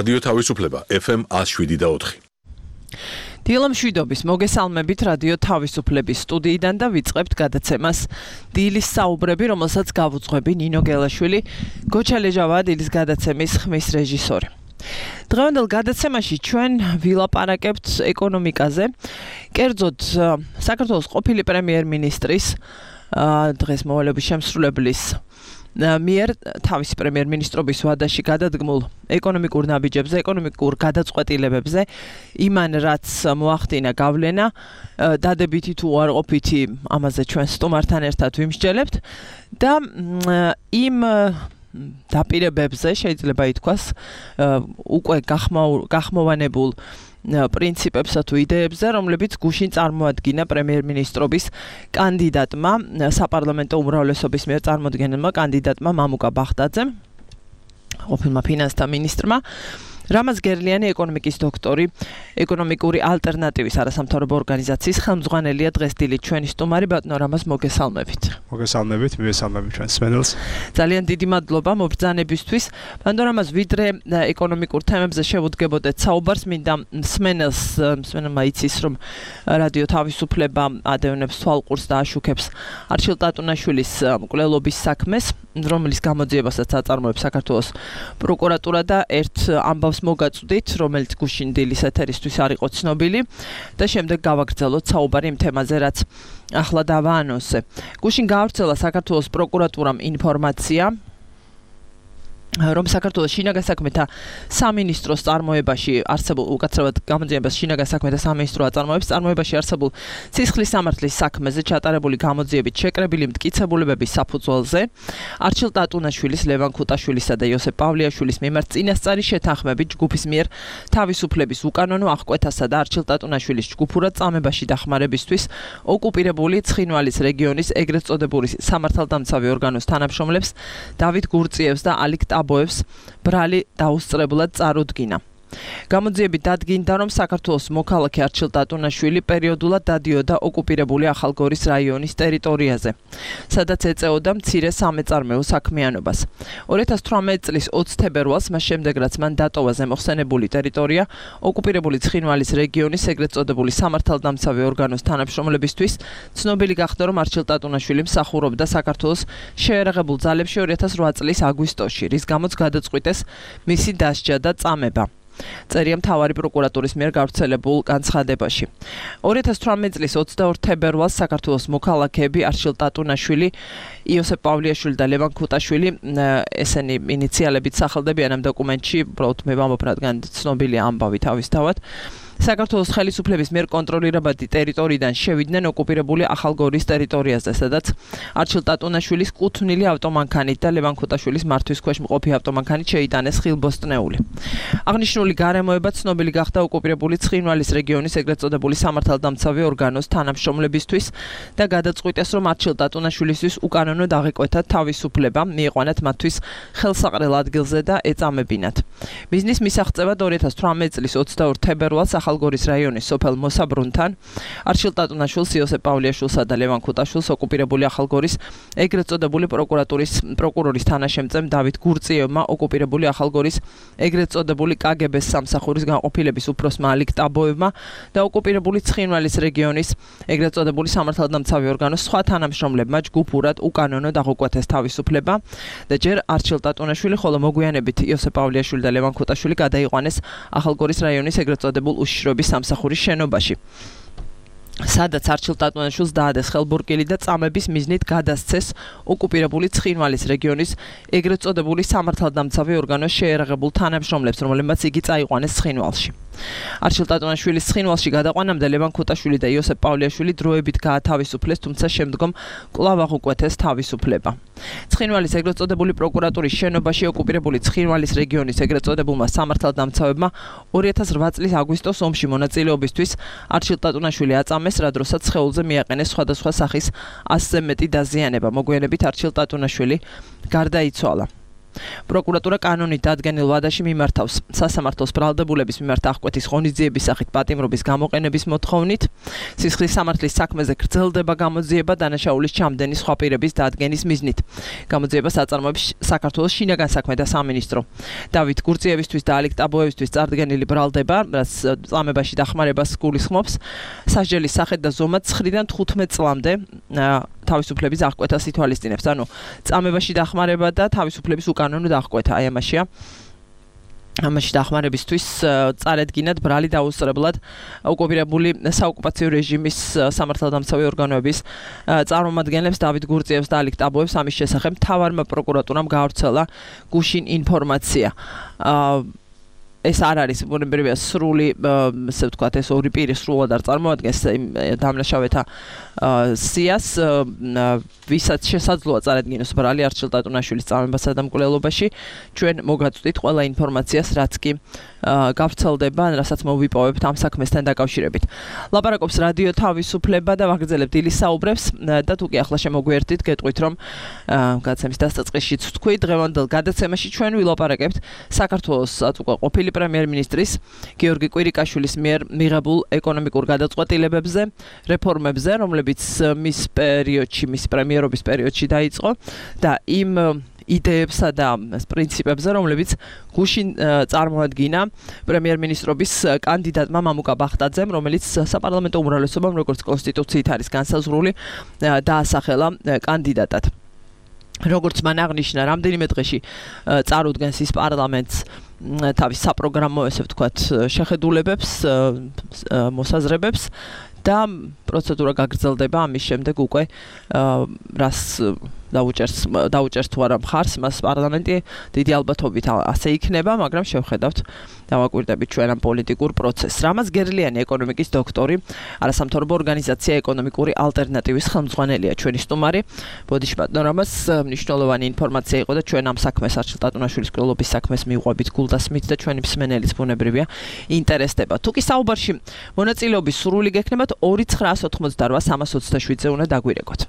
რადიო თავისუფლება FM 107.4. დილა მშვიდობის მოგესალმებით რადიო თავისუფლების სტუდიიდან და ვიწყებთ გადაცემას დილის საუბრები, რომელსაც გავუძღვები ნინო გელაშვილი, გოჩალეჟავა დილის გადაცემის ხმის რეჟისორი. დღევანდელ გადაცემაში ჩვენ ვილაპარაკებთ ეკონომიკაზე, კერძოდ საქართველოს ყოფილი პრემიერ-მინისტრის დღეს მოვალეობის შემსრულებლის მიერ თავისი პრემიერ-მინისტრობის ვადაში გადადგმულ ეკონომიკურ ნაბიჯებზე, ეკონომიკურ გადაწყვეტილებებზე, იმან რაც მოახდინა გავლენა, დადებითი თუ უარყოფითი, ამაზე ჩვენ სტუმართან ერთად ვიმსჯელებთ და იმ დაპირებებზე შეიძლება ითქვას უკვე გახმოვანებულ პრინციპებსა თუ იდეებზე, რომლებიც გუშინ წარმოადგინა პრემიერ-მინისტრობის კანდიდატმა, საპარლამენტო უმრავლესობის მიერ წარმოდგენილმა კანდიდატმა მამუკა ბახტაძემ, ყოფილმა ფინანსთა მინისტრმა, რამაზ გერლიანი ეკონომიკის დოქტორი, ეკონომიკური ალტერნატივის არასამთავრობო ორგანიზაციის ხელმძღვანელია დღეს დილით ჩვენი სტუმარი ბატონო რამაზ მოგესალმებით. მოგესალმებით, მივესალმებით ჩვენს მსმენელს. ძალიან დიდი მადლობა მობრძანებისთვის. ბატონო რამაზ, ვიდრე ეკონომიკურ თემებზე შევუდგებოდეთ საუბარს, მინდა მსმენელმა იცის, რომ რადიო თავისუფლება ადევნებს თვალყურს და აშუქებს არჩილ ტატუნაშვილის მკვლელობის საქმეს, რომლის გამოძიებასაც აწარმოებს საქართველოს პროკურატურა და ერთ ამბავს მოგაწვდით, რომელიც გუშინ დილის ეთერისთვის არ იყო ცნობილი და შემდეგ გავაგრძელოთ საუბარი იმ თემაზე, რაც ახლა დავაანონსე. გუშინ გაავრცელა საქართველოს პროკურატურამ ინფორმაცია, რომ საქართველოს შინაგან საქმეთა სამინისტროს წარმოებაში არსებულ უკაცრავად გამოძიებას შინაგან საქმეთა სამინისტრო აწარმოებს წარმოებაში არსებულ სისხლის სამართლის საქმეზე ჩატარებული გამოძიებით შეკრებილი მტკიცებულებების საფუძველზე არჩილ ტატუნაშვილის, ლევან ქუტაშვილისა და იოსებ პავლეაშვილის მიმართ წინასწარი შეთანხმებით ჯგუფის მიერ თავისუფლების უკანონო აღკვეთასა და არჩილ ტატუნაშვილის ჯგუფურად წამებაში დახმარებისთვის ოკუპირებული ცხინვალის რეგიონის ეგრეთ წოდებული სამართალდამცავი ორგანოს თანამშრომლებს დავით გურწიევს და ალიკ აბოებს ბრალი დაუსწრებლად წარუდგინა. გამოძიებით დადგინდა, რომ საქართველოს მოქალაქე არჩილ ტატუნაშვილი პერიოდულად დადიოდა ოკუპირებული ახალგორის რაიონის ტერიტორიაზე, სადაც ეწეოდა მცირე სამეწარმეო საქმიანობას. 2018 წლის 20 თებერვალს, მას შემდეგ რაც მან დატოვა ზემოხსენებული ტერიტორია, ოკუპირებული ცხინვალის რეგიონის ეგრეთ წოდებული სამართალდამცავი ორგანოს თანამშრომლებისთვის, ცნობილი გახდა, რომ არჩილ ტატუნაშვილი მსახურობდა საქართველოს შეერაღებულ ძალებში 2008 წლის აგვისტოში, რის გამოც გადაწყვიტეს მისი დასჯა და წამება. წერია მთავარი პროკურატურის მიერ გავრცელებულ განცხადებაში. 2018 წლის 22 თებერვალს საქართველოს მოქალაქეები არჩილ ტატუნაშვილი, იოსებ პავლეაშვილი და ლევან ქუტაშვილი, ესენი ინიციალებით სახელდებიან ამ დოკუმენტში, უბრალოდ მე ვამბობ, რადგან ცნობილია ამბავი თავისთავად. საქართველოს ხელისუფლების მიერ კონტროლირებადი ტერიტორიიდან შევიდნენ ოკუპირებული ახალგორის ტერიტორიაზე, სადაც არჩილ ტატუნაშვილის კუთვნილი ავტომანქანით და ლევან ქუტაშვილის მართვის ქვეშ მყოფი ავტომანქანით შეიტანეს ხილბოსტნეული. აღნიშნული გარემოება ცნობილი გახდა ოკუპირებული ცხინვალის რეგიონის ეგრეთ წოდებული სამართალდამცავი ორგანოს თანამშრომლებისთვის და გადაწყვიტეს, რომ არჩილ ტატუნაშვილისთვის უკანონო დაღეკვეთათ თავისუფლება, მიიყვანათ მათთვის ხელსაყრელ ადგილზე და ეწამებინათ. მიზნის მისაღწევად 2018 წლის 22 თებერვალს ახალგორის რაიონის სოფელ მოსაბრუნთან არჩილ ტატუნაშვილს, იოსებ პავლეაშვილსა და ლევან ქუტაშვილს ოკუპირებული ახალგორის ეგრეთ წოდებული პროკურორის თანაშემწემ დავით გურწიევმა, ოკუპირებული ახალგორის ეგრეთ წოდებული კგბ-ს სამსახურის განყოფილების უფროსმა ალიკ აბოევმა და ოკუპირებული ცხინვალის რეგიონის ეგრეთ წოდებული სამართალდამცავი ორგანოს სხვა თანამშრომლებმა ჯგუფურად უკანონო დაღუკვეთეს თავისუფლება და ჯერ არჩილ ტატუნაშვილი, ხოლო მოგვიანებით იოსებ პავლეაშვილი და ლევან ქუტაშვილი გადაიყვანეს ახალგორის რაიონის ეგრეთ წოდებულ უშიშროების სამსახურის შენობაში, სადაც არჩილ ტატუნაშვილს დაადეს ხელბურკილი და წამების მიზნით გადასცეს ოკუპირებული ცხინვალის რეგიონის ეგრეთ წოდებული სამართალდამცავი ორგანოს შეერაღებულ თანამშრომლებს, რომლებმაც იგი წაიყვანეს ცხინვალში. არჩილ ტატუნაშვილის ცხინვალში გადაყვანამდე ლევან ქუტაშვილი და იოსებ პავლეაშვილი დროებით გაათავისუფლეს, თუმცა შემდგომ კვლავ აღუკვეთეს თავისუფლება. ცხინვალის ეგრეთ წოდებული პროკურატურის შენობაში ოკუპირებული ცხინვალის რეგიონის ეგრეთ წოდებულმა სამართალდამცავებმა 2008 წლის აგვისტოს ომში მონაწილეობისთვის არჩილ ტატუნაშვილი აწამეს, რა დროსაც სხეულზე მიაყენეს სხვადასხვა სახის 100-ზე მეტი დაზიანება. მოგვიანებით არჩილ ტატუნაშვილი გარდაიცვალა. პროკურატურა კანონით დადგენილ ვადაში მიმართავს სასამართლოს ბრალდებულების მიმართ აღკვეთის ღონისძიების სახით პატიმრობის გამოყენების მოთხოვნით. სისხლის სამართლის საქმეზე გრძელდება გამოძიება დანაშაულის ჩამდენი სხვა პირების დადგენის მიზნით. გამოძიებას აწარმოებს საქართველოს შინაგან საქმეთა სამინისტრო. დავით გურწიევისთვის და ალიკ ტაბოევისთვის წარდგენილი ბრალდება, რაც წამებაში დახმარებას გულისხმობს, სასჯელის სახით და ზომად 9-დან 15 წლამდე თავისუფლების აღკვეთას ითვალისწინებს. ანუ წამებაში დახმარება და თავისუფლების უკანონო დახკვეთა, აი ამაშია. ამაში დახმარებისთვის წარედგინათ ბრალი დაუსწრებლად ოკუპირებული საოკუპაციო რეჟიმის სამართალდამცავი ორგანოების წარმომადგენლებს დავით გურწიევს და ალიკ ტაბოევს ამის შესახებ მთავარმა პროკურატურამ გაავრცელა გუშინ ინფორმაცია. ეს არ არის ბუნებრივია სრული, ესე ვთქვათ, ეს ორი პირი სრულად არ წარმოადგენს დამნაშავეთა სიას, ვისაც შესაძლოა წარედგინოს ბრალი არჩილ ტატუნაშვილის წამებასა და მკვლელობაში. ჩვენ მოგაწვდით ყველა ინფორმაციას, რაც კი გავრცელდება, რასაც მოვიპოვებთ ამ საქმესთან დაკავშირებით. ლაპარაკობს რადიო თავისუფლება და ვაგრძელებთ დილის საუბრებს და თუ კი ახლა შემოგვიერთდით, გეტყვით რომ გადაცემის დასაწყისშიც ვთქვი, დღევანდელ გადაცემაში ჩვენ ვილაპარაკებთ საქართველოსაც უკვე ყოფილი პრემიერ-მინისტრის გიორგი კვირიკაშვილის მიერ მიღებულ ეკონომიკურ გადაწყვეტილებებზე, რეფორმებზე, რომლებიც მის პრემიერობის პერიოდში დაიწყო და იმ იდეებსა და პრინციპებზე, რომლებიც გუშინ წარმოადგინა პრემიერ-მინისტრობის კანდიდატმა მამუკა ბახტაძემ, რომელიც საპარლამენტო უმრავლესობამ, როგორც კონსტიტუციით არის განსაზღვრული, დაასახელა კანდიდატად. როგორც მან აღნიშნა, რამდენიმე დღეში წარუდგენს ის პარლამენტს თავის საპროგრამო, ესე ვთქვათ, შეხედულებებს, მოსაზრებებს და პროცედურა გაგრძელდება ამის შემდეგ უკვე რას დაუჭერს თუ არა მხარს მას პარლამენტი დიდი ალბათობით ასე იქნება, მაგრამ შევხედავთ დავაკვირდებით ჩვენ ამ პოლიტიკურ პროცესს. რამაზ გერლიანი ეკონომიკის დოქტორი, არასამთავრობო ორგანიზაცია ეკონომიკური ალტერნატივის ხელმძღვანელია ჩვენი სტუმარი. ბოდიში ბატონო რამაზ, მნიშვნელოვანი ინფორმაცია იყო და ჩვენ ამ საქმეს არჩილ ტატუნაშვილის მკვლელობის საქმეს მიუყვებით გულდასმით და ჩვენი მსმენელიც ბუნებრივია ინტერესდება. თუ კი საუბარში მონაწილეობის სრული გექნებათ 2,988,327-ზე უნდა დაგვირეკოთ.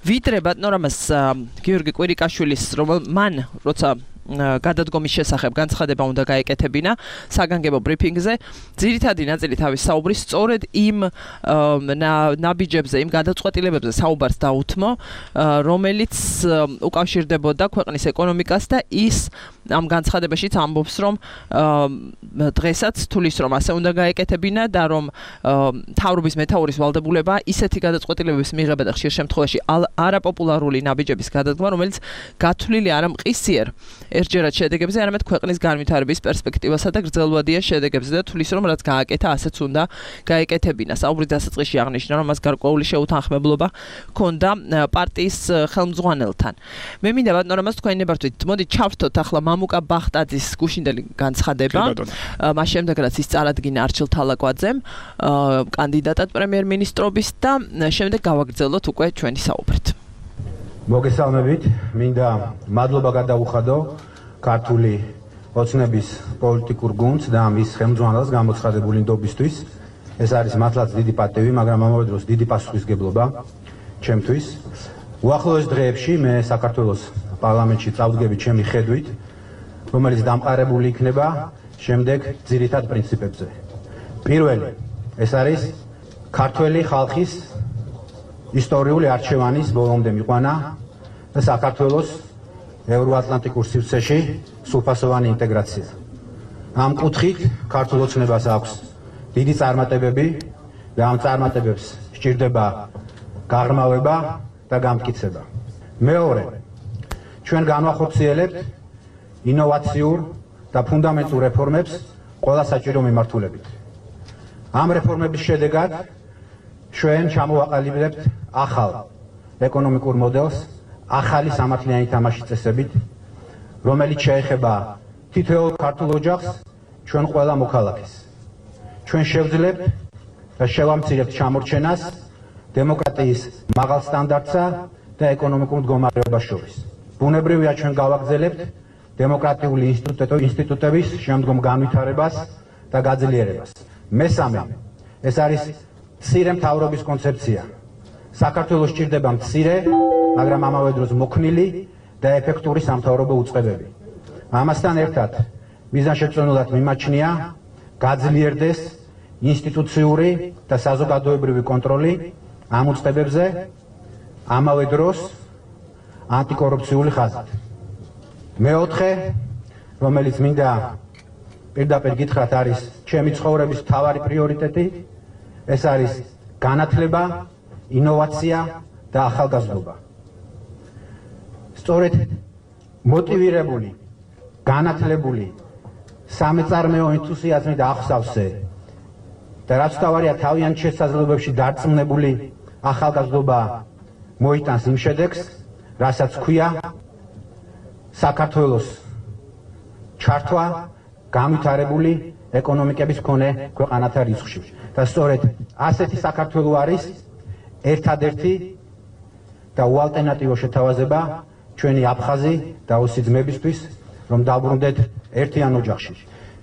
ვიდრე ბატონო რამაზ გიორგი კვირიკაშვილის მან როცა გადადგომის შესახებ განცხადება უნდა გაეკეთებინა საგანგებო ბრიფინგზე, ძირითადი ნაწილი თავის საუბრის სწორედ იმ ნაბიჯებზე, იმ გადაწყვეტილებებზე საუბარს დაუთმო, რომელიც უკავშირდებოდა ქვეყნის ეკონომიკას და ის ამ განცხადებაშიც ამბობს, რომ დღესაც თulis რომ ასე უნდა გაეკეთებინა და რომ მთავრობის მეთაურის ვალდებულება ისეთი გადაწყვეტილებების მიღება და ხშირ შემთხვევაში არაპოპულარული ნაბიჯების გადადგმა, რომელიც გათვლილი არ ამყისიერ ერთჯერად შედეგებზე, არამედ ქვეყნის განვითარების პერსპექტივასა და გრძელვადიან შედეგებზე და თulis რომ რაც გააკეთა, ასეც უნდა გაეკეთებინა. საუბრის დასაწყისში აღნიშნა, რომ მას გარკვეული შეუთანხმებლობა ჰქონდა პარტიის ხელმძღვანელთან. მე მინდა ბატონო რამაზ თქვენი ნებართვით, მოდით ჩავრთოთ ახლა მამუკა ბახტაძის გუშინდელი განცხადება, მას შემდეგ რაც ის წარადგინა არჩილ თალაკვაძემ კანდიდატად პრემიერ-მინისტრობის და შემდეგ გავაგრძელოთ უკვე ჩვენი საუბრით. მოგესალმებით, მინდა მადლობა გადაუხადო ქართული ოცნების პოლიტიკურ გუნდს და მის ხელმძღვანელს გამოცხადებული ნდობისთვის. ეს არის მართლაც დიდი პატივი, მაგრამ ამავე დროს დიდი პასუხისგებლობა ჩემთვის. უახლოეს დღეებში მე საქართველოს პარლამენტში წავდგები ჩემი ხედვით, რომელიც დამყარებული იქნება შემდეგ ძირითად პრინციპებზე. პირველი, ეს არის ქართველი ხალხის ისტორიული არჩევანის ბოლომდე მიყვანა და საქართველოს ევროატლანტიკურ სივრცეში სრულფასოვანი ინტეგრაცია. ამ კუთხით ქართულ ოცნებას აქვს დიდი წარმატებები და ამ წარმატებებს სჭირდება გაღრმავება და გამტკიცება. მეორე, ჩვენ განვახორციელებთ ინოვაციურ და ფუნდამენტურ რეფორმებს ყველა საჭირო მიმართულებით. ამ რეფორმების შედეგად ჩვენ ჩამოვაყალიბებთ ახალ ეკონომიკურ მოდელს, ახალი სამართლიანი თამაშის წესებით, რომელიც შეეხება თითოეულ ქართულ ოჯახს, ჩვენ ყველა მოქალაქეს. ჩვენ შევძლებთ და შევამცირებთ ჩამორჩენას დემოკრატიის მაღალ სტანდარტსა და ეკონომიკურ მდგომარეობას შორის. ბუნებრივია ჩვენ გავაგრძელებთ დემოკრატიული ინსტიტუტების შემდგომ განვითარებას და გაძლიერებას. მესამე, ეს არის მცირე მთავრობის კონცეფცია. საქართველოს სჭირდება მცირე, მაგრამ ამავე დროს მოქნილი და ეფექტური სამთავრობო უწყებები. ამასთან ერთად მიზანშეწონილად მიმაჩნია გაძლიერდეს ინსტიტუციური და საზოგადოებრივი კონტროლი ამ უწყებებზე, ამავე დროს ანტიკორუფციული ხაზით. მეოთხე, რომელიც მინდა პირდაპირ გითხრათ, არის ჩემი ცხოვრების მთავარი პრიორიტეტი, ეს არის განათლება, ინოვაცია და ახალგაზრდობა. სწორედ მოტივირებული, განათლებული, სამეწარმეო ენთუზიაზმი და ახსავსე და რაც თავარია თავიანთ შესაძლებლობებში დარწმუნებული ახალგაზრდობა მოიტანს იმ შედეგს, რასაც ქვია საქართველოს ჩართვა განვითარებული ეკონომიკების მქონე ქვეყანათა რიცხვში. და სწორედ ასეთი საქართველო არის ერთადერთი და უალტერნატივო შეთავაზება ჩვენი აფხაზი და ოსი ძმებისთვის, რომ დაბრუნდეთ ერთიან ოჯახში.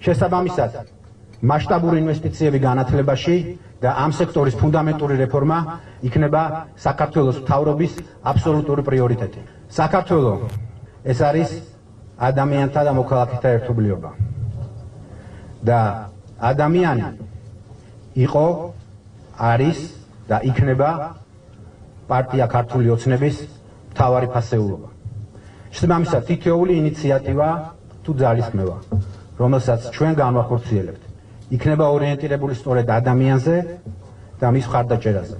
შესაბამისად, მასშტაბური ინვესტიციები განათლებაში და ამ სექტორის ფუნდამენტური რეფორმა იქნება საქართველოს მთავრობის აბსოლუტური პრიორიტეტი. საქართველო ეს არის ადამიანთა და მოქალაქეთა ერთობლიობა. და ადამიანი იყო, არის და იქნება პარტია ქართული ოცნების მთავარი ფასეულობა. შესაბამისად, თითოეული ინიციატივა თუ ძალისხმევა, რომელსაც ჩვენ განვახორციელებთ, იქნება ორიენტირებული სწორედ ადამიანზე და მის მხარდაჭერაზე.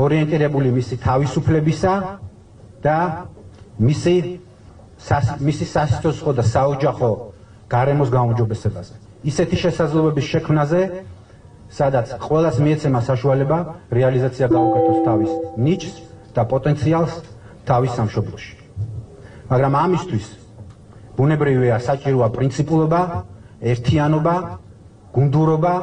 ორიენტირებული მისი თავისუფლებისა და მისი სასიცოცხლო და საოჯახო გარემოს გაუმჯობესებაზე. ისეთი შესაძლებლობების შექმნაზე, სადაც ყველას მიეცემა საშუალება რეალიზაცია გაუკეთოს თავის ნიჭს და პოტენციალს თავის სამშობლოში. მაგრამ ამისთვის ბუნებრივია საჭიროა პრინციპულობა, ერთიანობა, გუნდურობა,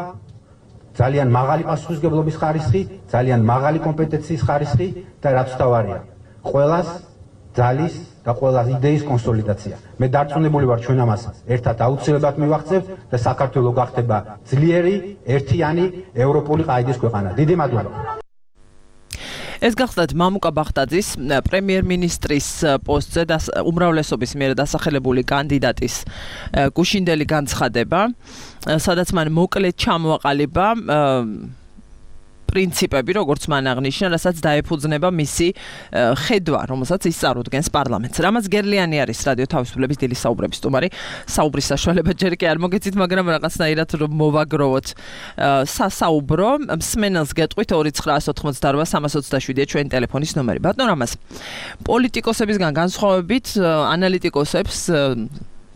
ძალიან მაღალი პასუხისმგებლობის ხარისხი, ძალიან მაღალი კომპეტენციის ხარისხი და რაც თავარია, ყველას ძალის და ყველა იდეის კონსოლიდაცია. მე დარწმუნებული ვარ, ჩვენ ამას ერთად აუცილებლად მივახცევთ და საქართველო გახდება ძლიერი, ერთიანი, ევროპული ყაიდის ქვეყანა. დიდი მადლობა. ეს გახლდათ მამუკა ბახტაძის პრემიერ-მინისტრის პოსტზე და უმრავლესობის მიერ დასახელებული კანდიდატის გუშინდელი განცხადება, სადაც მან მოკლედ ჩამოაყალიბა პრინციპები, როგორც მან აღნიშნა, რასაც დაეფუძნება მისი ხედვა, რომელსაც ის წარუდგენს პარლამენტს. რამაც გერლიანი არის რადიო თავისუფლების დილის საუბრების სტუმარი. საუბრის საშუალება ჯერ კი არ მოგეცით, მაგრამ რაღაცნაირად რომ მოვაგროვოთ სასაუბრო. მსმენელს გეტყვით 2988327-ია ჩვენი ტელეფონის ნომერი. ბატონ რამაზ, პოლიტიკოსებისგან განსხვავებით, ანალიტიკოსებს,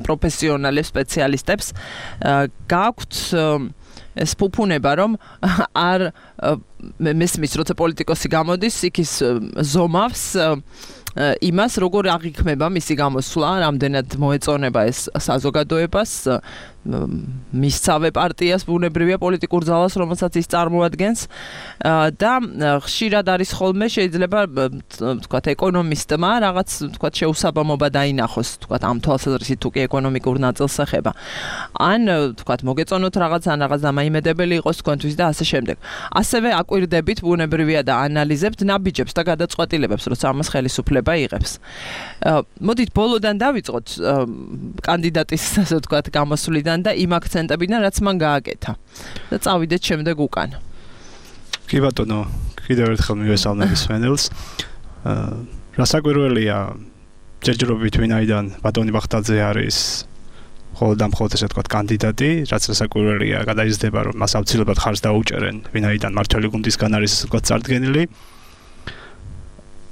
პროფესიონალებს, სპეციალისტებს გააქვთ ეს ფუფუნება, რომ არ მესმის, როცა პოლიტიკოსი გამოდის, იქ ის ზომავს იმას, როგორ აღიქმება მისი გამოსვლა, რამდენად მოეწონება ეს საზოგადოებას, მისცავე პარტიას, ბუნებრივია პოლიტიკურ ძალას, რომელსაც ის წარმოადგენს და ხშირად არის ხოლმე შეიძლება თქვათ ეკონომისტმა რაღაც თქვათ შეუსაბამობა დაინახოს, თქვათ ამ თვალსაზრისით თუ კი ეკონომიკურ ნაწილს ეხება. ან თქვათ მოგეწონოთ რაღაც ან რაღაც დამაიმედებელი იყოს თქვენთვის და ასე შემდეგ. ასევე აკვირდებით ბუნებრივია და ანალიზებთ ნაბიჯებს და გადაწყვეტილებებს, როცა ამას ხელისუფლება იღებს. მოდით ბოლოდან დავიწყოთ კანდიდატის ასე თქვათ გამოსვლიდან და იმ აქცენტებიდან, რაც მან გააკეთა. და წავიდეთ შემდეგ უკან. კი ბატონო, კიდევ ერთხელ მივესალმებ მსმენელს. რასაკვირველია, ჯერჯერობით ვინაიდან ბატონი ბახტაძე არის მხოლოდ და მხოლოდ ესე ვთქვათ კანდიდატი, რაც რასაკვირველია, გადაიზრდება, რომ მას აუცილებლად ხარს დაუჭერენ, ვინაიდან მმართველი გუნდისგან არის ესე ვთქვათ წარდგენილი.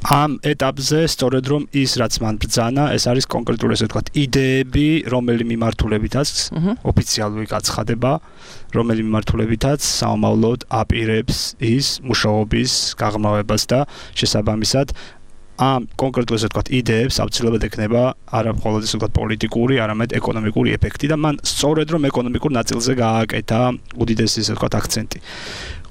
ამ ეტაპზე სწორედ რომ ის რაც მან ბრძანა, ეს არის კონკრეტული ესე ვთქვათ იდეები, რომელი მიმართულებითაც ოფიციალური გაცხადება, რომელი მიმართულებითაც საომავლოდ აპირებს ის მუშაობის გაღრმავებას და შესაბამისად ამ კონკრეტულ ესე ვთქვათ იდეებს აუცილებლად ექნება არა მხოლოდ ესე ვთქვათ პოლიტიკური, არამედ ეკონომიკური ეფექტი და მან სწორედ რომ ეკონომიკურ ნაწილზე გააკეთა უდიდესი ესე ვთქვათ აქცენტი.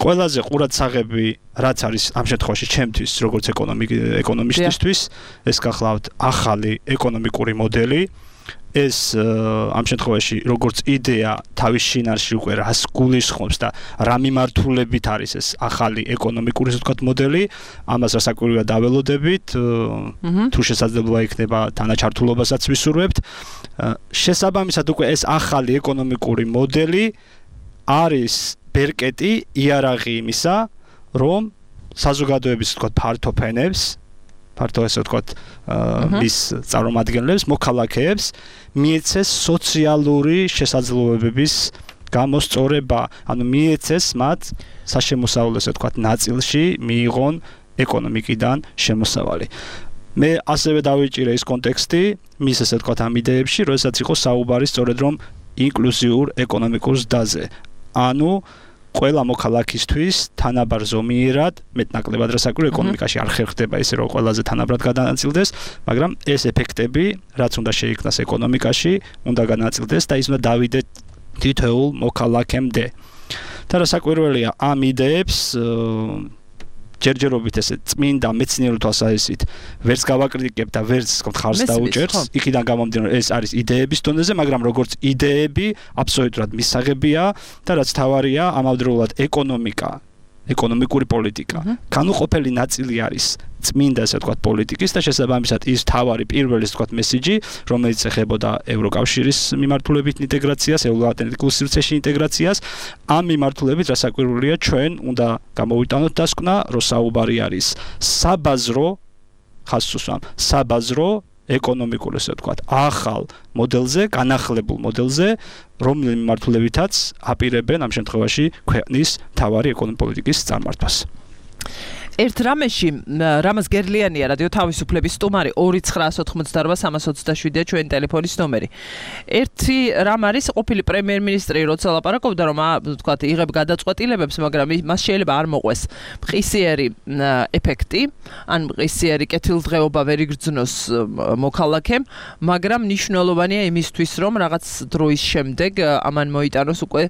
ყველაზე ყურადსაღები რაც არის ამ შემთხვევაში ჩემთვის როგორც ეკონომისტისთვის, ეს გახლავთ ახალი ეკონომიკური მოდელი, ეს ამ შემთხვევაში როგორც იდეა თავის შინაარსში უკვე რას გულისხმობს და რა მიმართულებით არის ეს ახალი ეკონომიკური მოდელი, ამას რასაკვირველია დაველოდებით, თუ შესაძლებლობა იქნება თანაჩართულობასაც ვისურვებთ. შესაბამისად უკვე ეს ახალი ეკონომიკური მოდელი არის ბერკეტი, იარაღი იმისა, რომ საზოგადოების ფართო ფენებს ფართო ესე ვთქვათ მის წარმომადგენლებს, მოქალაქეებს მიეცეს სოციალური შესაძლებლობების გამოსწორება, ანუ მიეცეს მათ საშემოსავლო ესე ვთქვათ ნაწილში მიიღონ ეკონომიკიდან შემოსავალი. მე ასევე დავიჭირე ის კონტექსტი მის ესე ვთქვათ ამ იდეებში, როდესაც იყო საუბარი სწორედ რომ ინკლუზიურ ეკონომიკურ ზრდაზე. ანუ ყველა მოქალაქისთვის თანაბარ ზომიერად მეტნაკლებად რასაკვირველია ეკონომიკაში არ ხერხდება ისე რომ ყველაზე თანაბრად გადანაწილდეს, მაგრამ ეს ეფექტები, რაც უნდა შეიქმნას ეკონომიკაში, უნდა განაწილდეს და ის უნდა დავიდეთ თითოეულ მოქალაქემდე. და რასაკვირველია ამ იდეებს ჯერჯერობით ესე წმინდა მეცნიერული თვალსაზრისით ვერც გავაკრიტიკებ და ვერც ხარს დაუჭერს. იქიდან გამომდინარე ეს არის იდეების დონეზე, მაგრამ როგორც იდეები აბსოლუტურად მისაღებია და რაც თავარია ამავდროულად ეკონომიკური პოლიტიკა. განუყოფელი ნაწილი არის წმინდა ესე ვთქვათ პოლიტიკის და შესაბამისად ის თავარი პირველი ესე ვთქვათ მესიჯი, რომელიც ეხებოდა ევროკავშირის მიმართულებით ინტეგრაციას, ევროატლანტიკულ სივრცეში ინტეგრაციას, ამ მიმართულებით რასაკვირველია ჩვენ უნდა გამოვიტანოთ დასკვნა, რომ საუბარი არის საბაზრო ეკონომიკურ ესე ვთქვათ ახალ მოდელზე, განახლებულ მოდელზე, რომლის მიმართულებითაც აპირებენ ამ შემთხვევაში ქვეყნის თავარი ეკონომიკური პოლიტიკის წარმართვას. ერთ რამეში რამაზ გერლიანია რადიო თავისუფლების სტუმარი 2988327 ჩვენი ტელეფონის ნომერი. ერთი რამ არის ყოფილი პრემიერ-მინისტრი როცა ლაპარაკობდა რომ ვთქვათ იღებ გადაწყვეტილებებს, მაგრამ მას შეიძლება არ მოყვეს მყისიერი ეფექტი, ან მყისიერი კეთილდღეობა ვერ იგრძნოს მოქალაქემ, მაგრამ მნიშვნელოვანია იმისთვის რომ რაღაც დროის შემდეგ ამან მოიტანოს უკვე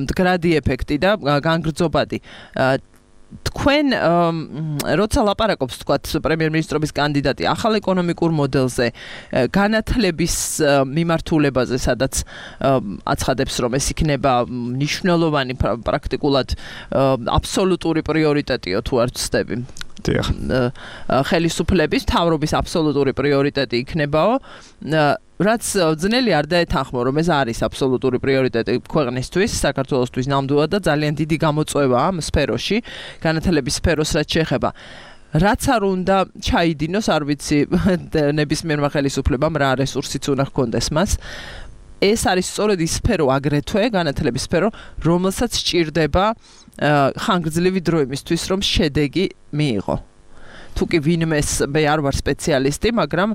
მდგრადი ეფექტი და განგრძობადი. თქვენ როცა ლაპარაკობს თქვათ პრემიერ-მინისტრობის კანდიდატი ახალ ეკონომიკურ მოდელზე, განათლების მიმართულებაზე, სადაც აცხადებს რომ ეს იქნება მნიშვნელოვანი პრაქტიკულად აბსოლუტური პრიორიტეტიო თუ არ ვცდები. ხელისუფლების თავრობის აბსოლუტური პრიორიტეტი იქნებაო, რაც ძნელი არ დაეთანხმო, რომ ეს არის აბსოლუტური პრიორიტეტი ქვეყნისთვის, საქართველოსთვის ნამდვილად და ძალიან დიდი გამოწვევა ამ სფეროში, განათლების სფეროს რაც შეეხება. რაც არ უნდა ჩაიდინოს, არ ვიცი ნებისმიერმა ხელისუფლებამ რა რესურსიც უნდა ჰქონდეს მას. ეს არის სწორედ ის სფერო აგრეთვე, განათლების სფერო, რომელსაც სჭირდება ხანგრძლივი დრო იმისთვის, რომ შედეგი მიიღო. თუკი ვინმეს მე არ ვარ სპეციალისტი, მაგრამ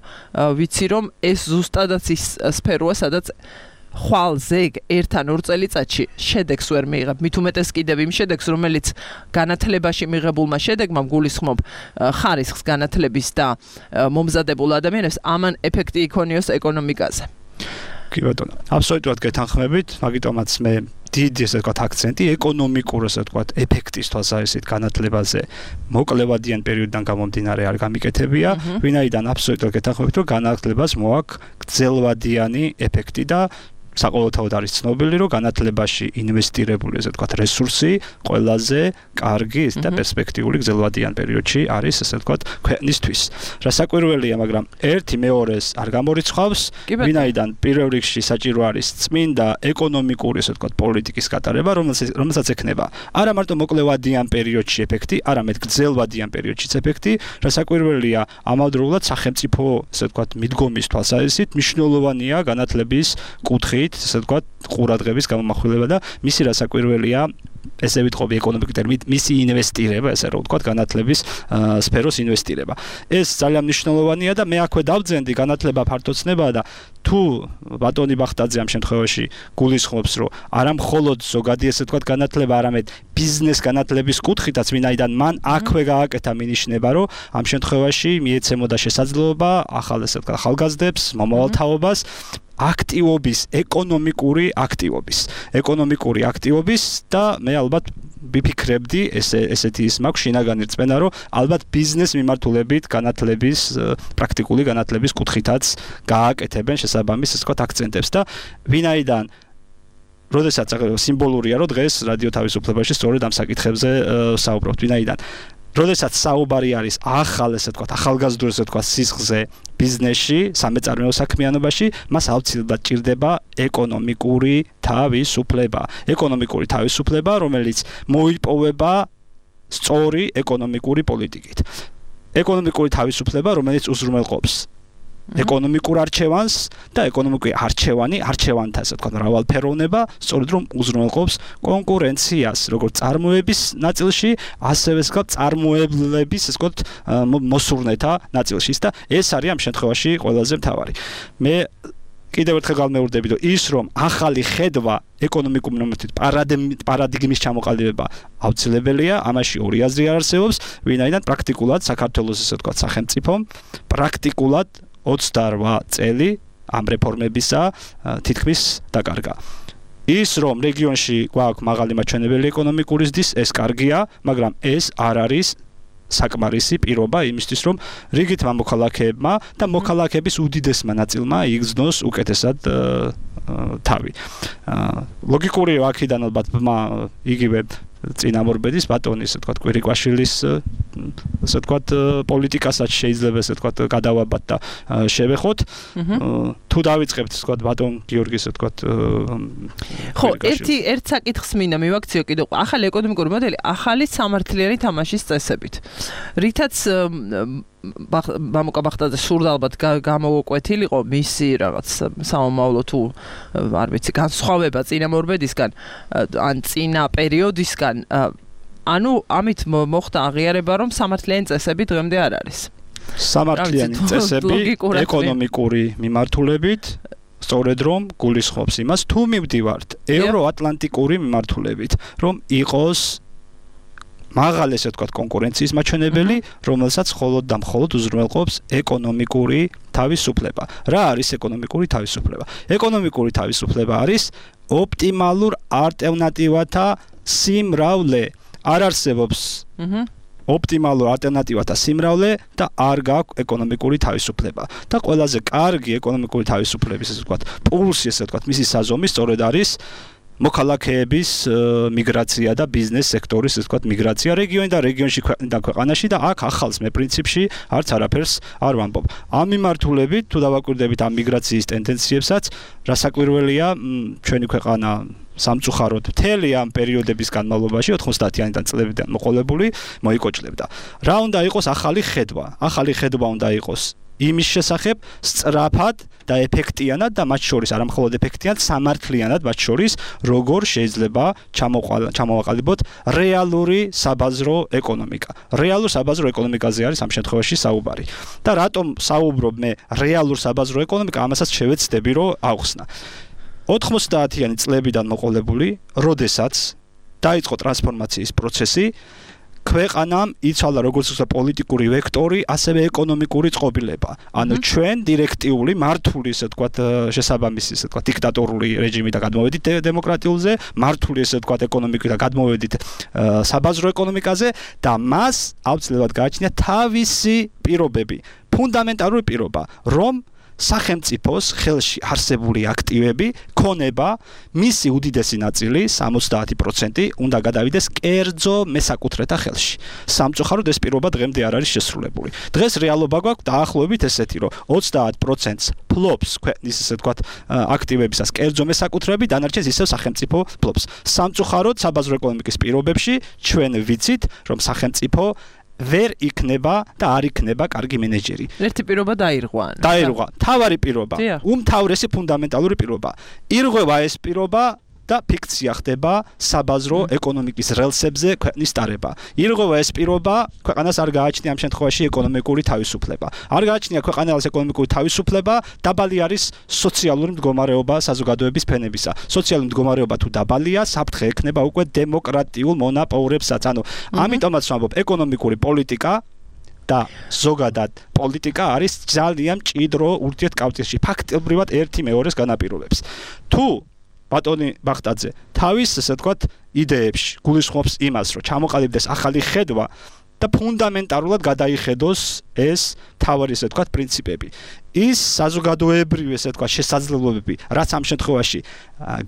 ვიცი რომ ეს ზუსტადაც ის სფეროა, სადაც ხვალ ზეგ 1-2 წელიწადში შედეგს ვერ მიიღებ. მით უმეტეს კიდევ იმ შედეგს, რომელიც განათლებაში მიღებულმა შედეგმა გულისხმობ ხარისხს განათლების და მომზადებულ ადამიანებს, ამან ეფექტი იქონიოს ეკონომიკაზე. კი ბატონო, აბსოლუტურად გეთანხმებით, მაგიტომაც მე დიდი ესე ვთქვათ აქცენტი ეკონომიკურ ესე ვთქვათ ეფექტის თვალსაზრისით განათლებაზე მოკლევადიან პერიოდიდან გამომდინარე არ გამიკეთებია, ვინაიდან აბსოლუტურად გეთანხმებით, რომ განათლებას მოაქვს გრძელვადიანი ეფექტი და საყოველთაოდ არის ცნობილი, რომ განათლებაში ინვესტირებული ესე ვთქვათ რესურსი ყველაზე კარგი და პერსპექტიული გრძელვადიან პერიოდში არის ესე ვთქვათ ქვეყნისთვის. რასაკვირველია, მაგრამ ერთი მეორეს არ გამორიცხავს, ვინაიდან პირველ რიგში საჭირო არის წმინდა ეკონომიკური ესე ვთქვათ პოლიტიკის გატარება, რომელსაც ექნება არა მარტო მოკლევადიან პერიოდში ეფექტი, არამედ გრძელვადიან პერიოდშიც ეფექტი. რასაკვირველია, ამავდროულად სახელმწიფო ესე ვთქვათ მიდგომის თვალსაზრისით მნიშვნელოვანია განათლების კუთხით ესე ვთქვათ ყურადღების გამომახვილება და მისი რასაკვირველია ესე ვიტყობი ეკონომიკური ტერმინით მისი ინვესტირება, ესე რომ ვთქვათ განათლების სფეროს ინვესტირება. ეს ძალიან მნიშვნელოვანია და მე აქვე დავძენდი განათლება ფართოცნებაა და თუ ბატონი ბახტაძე ამ შემთხვევაში გულისხმობს, რომ არა მხოლოდ ზოგადი ესე ვთქვათ განათლება, არამედ ბიზნეს განათლების კუთხითაც, ვინაიდან მან აქვე გააკეთა მინიშნება, რომ ამ შემთხვევაში მიეცემოდა შესაძლებლობა ახალ ესე ვთქვათ ახალგაზრდებს, მომავალ თაობას აქტივობის, ეკონომიკური აქტივობის და მე მე ალბათ ვიფიქრებდი ესეთი ის მაქვს შინაგანი რწმენა რომ ალბათ ბიზნეს მიმართულებით განათლების პრაქტიკული განათლების კუთხითაც გააკეთებენ შესაბამის ასე ვთქვათ აქცენტებს და ვინაიდან როდესაც სიმბოლურია რომ დღეს რადიო თავისუფლებაში სწორედ ამ საკითხებზე საუბრობთ ვინაიდან როდესაც საუბარი არის ახალ ესე ვთქვათ ახალგაზრდულ ესე ვთქვათ სისხლზე ბიზნესში სამეწარმეო საქმიანობაში მას აუცილებლად ჭირდება ეკონომიკური თავისუფლება რომელიც მოიპოვება სწორი ეკონომიკური პოლიტიკით ეკონომიკური თავისუფლება რომელიც უზრუნველყოფს ეკონომიკურ არჩევანს და ეკონომიკური არჩევანთა ასე ვთქვათ მრავალფეროვნება სწორედ რომ უზრუნველყოფს კონკურენციას როგორც წარმოების ნაწილში ასევე წარმოებლების ასე ვთქვათ მოსურნეთა ნაწილში და ეს არის ამ შემთხვევაში ყველაზე მთავარი მე კიდევ ერთხელ გამეორდები რომ ის რომ ახალი ხედვა ეკონომიკურ მომენტით პარადიგმის ჩამოყალიბება აუცილებელია ამაში ორი აზრი არ არსებობს ვინაიდან პრაქტიკულად საქართველოს ასე ვთქვათ სახელმწიფომ პრაქტიკულად 28 წელი ამ რეფორმებისა თითქმის დაკარგა. ის რომ რეგიონში გვაქვს მაღალი მაჩვენებელი ეკონომიკური ზრდის, ეს კარგია, მაგრამ ეს არ არის საკმარისი პირობა იმისთვის, რომ რიგით მოქალაქეებმა და მოქალაქეების უდიდესმა ნაწილმა იგრძნოს უკეთესად თავი. ლოგიკური აქედან ალბათ იგივე წინამორბედის ბატონის, ასე ვთქვათ, კვირიკვაშვილის, ასე ვთქვათ, პოლიტიკასაც შეიძლება ასე ვთქვათ გადავაბათ და შევეხოთ. თუ დავიწყებთ, ასე ვთქვათ, ბატონ გიორგის, ასე ვთქვათ, ხო, ერთ საკითხს მინდა მივაქციო კიდევ. ახალი ეკონომიკური მოდელი, ახალი სამართლიანი თამაშის წესებით. რითაც მამუკა ბახტაძე სურდა ალბათ გამოვკვეთილიყო მისი რაღაც სამომავლო თუ არ ვიცი განსხვავება წინამორბედისგან ან წინა პერიოდისგან ანუ ამით მოხდა აღიარება რომ სამართლიანი წესები დღემდე არ არის სამართლიანი წესები ეკონომიკური მიმართულებით სწორედ რომ გულისხმობს იმას თუ მივდივართ ევროატლანტიკური მიმართულებით რომ იყოს მაღალი ესე ვთქვათ კონკურენციის მაჩვენებელი, რომელსაც მხოლოდ და მხოლოდ უზრუნველყოფს ეკონომიკური თავისუფლება. რა არის ეკონომიკური თავისუფლება? ეკონომიკური თავისუფლება არის ოპტიმალურ ალტერნატივათა სიმრავლე. არ არსებობს ოპტიმალურ ალტერნატივათა სიმრავლე და არ გაქვს ეკონომიკური თავისუფლება. და ყველაზე კარგი ეკონომიკური თავისუფლების ესე ვთქვათ პულსი ესე ვთქვათ მისი საზომი სწორედ არის მოქალაქეების მიგრაცია და ბიზნეს სექტორის ასე ვთქვათ მიგრაცია რეგიონში და ქვეყანაში და აქ ახალს მე პრინციპში არც არაფერს არ ვამბობ. ამ მიმართულებით თუ დავაკვირდებით ამ მიგრაციის ტენდენციებსაც, რასაკვირველია, ჩვენი ქვეყანა სამწუხაროდ მთელი ამ პერიოდების განმავლობაში 90-იანი წლებიდან მოყოლებული მოიკოჭლებდა. რა უნდა იყოს ახალი ხედვა? ახალი ხედვა უნდა იყოს იმის შესახებ სწრაფად და ეფექტიანად და მათ შორის არა მხოლოდ ეფექტიანად, სამართლიანად მათ შორის როგორ შეიძლება ჩამოვაყალიბოთ რეალური საბაზრო ეკონომიკა. რეალურ საბაზრო ეკონომიკაზე არის ამ შემთხვევაში საუბარი. და რატომ საუბრობ მე რეალურ საბაზრო ეკონომიკა, ამასაც შევეცდები რომ ავხსნა. 90-იანი წლებიდან მოყოლებული, როდესაც დაიწყო ტრანსფორმაციის პროცესი, ქვეყანამ იცვალა როგორც პოლიტიკური ვექტორი, ასევე ეკონომიკური წყობილება. ანუ ჩვენ დირექტიული მართული, ესე ვთქვათ, შესაბამისი, ესე ვთქვათ, დიქტატორული რეჟიმი და გადმოვედით დემოკრატიულზე, მართული, ესე ვთქვათ, ეკონომიკა და გადმოვედით საბაზრო ეკონომიკაზე და მას აუცილებლად გააჩნია თავისი პირობები, ფუნდამენტალური პირობა, რომ სახელმწიფოს ხელში არსებული აქტივები, ქონება, მისი უდიდესი ნაწილი, 70% უნდა გადავიდეს კერძო მესაკუთრეთა ხელში. სამწუხაროდ ეს პირობა დღემდე არ არის შესრულებული. დღეს რეალობა გვაქვს დაახლოებით ესეთი, რომ 30%-ს ფლობს ქვეყნის ესე ვთქვათ აქტივებისას კერძო მესაკუთრეები, დანარჩენს ისევ სახელმწიფო ფლობს. სამწუხაროდ საბაზრო ეკონომიკის პირობებში ჩვენ ვიცით, რომ სახელმწიფო ვერ იქნება და არ იქნება კარგი მენეჯერი. ერთი პირობა დაირღვა. დაირღვა. თავარი პირობა. უმთავრესი ფუნდამენტალური პირობა. ირღვევა ეს პირობა და ფიქცია ხდება საბაზრო ეკონომიკის რელსებზე ქვეყნის დარება. ირღვევა ეს პირობა, ქვეყანას არ გააჩნია ამ შემთხვევაში ეკონომიკური თავისუფლება. არ გააჩნია ქვეყანას ეკონომიკური თავისუფლება, დაბალი არის სოციალური მდგომარეობა საზოგადოების ფენებისა. სოციალური მდგომარეობა თუ დაბალია, საფრთხე ექნება უკვე დემოკრატიულ მონაპოვრებსაც. ანუ ამიტომაც ვამბობ, ეკონომიკური პოლიტიკა და ზოგადად პოლიტიკა არის ძალიან მჭიდრო ურთიერთკავშირში. ფაქტობრივად ერთი მეორეს განაპირობებს. თუ ბატონი ბახტაძე თავის ესე ვთქვათ იდეებში გულისხმობს იმას, რომ ჩამოყალიბდეს ახალი ხედვა და ფუნდამენტალურად გადაიხედოს ეს თავარი ესე ვთქვათ პრინციპები. ის საზოგადოებრივი ესე ვთქვათ შესაძლებლობები, რაც ამ შემთხვევაში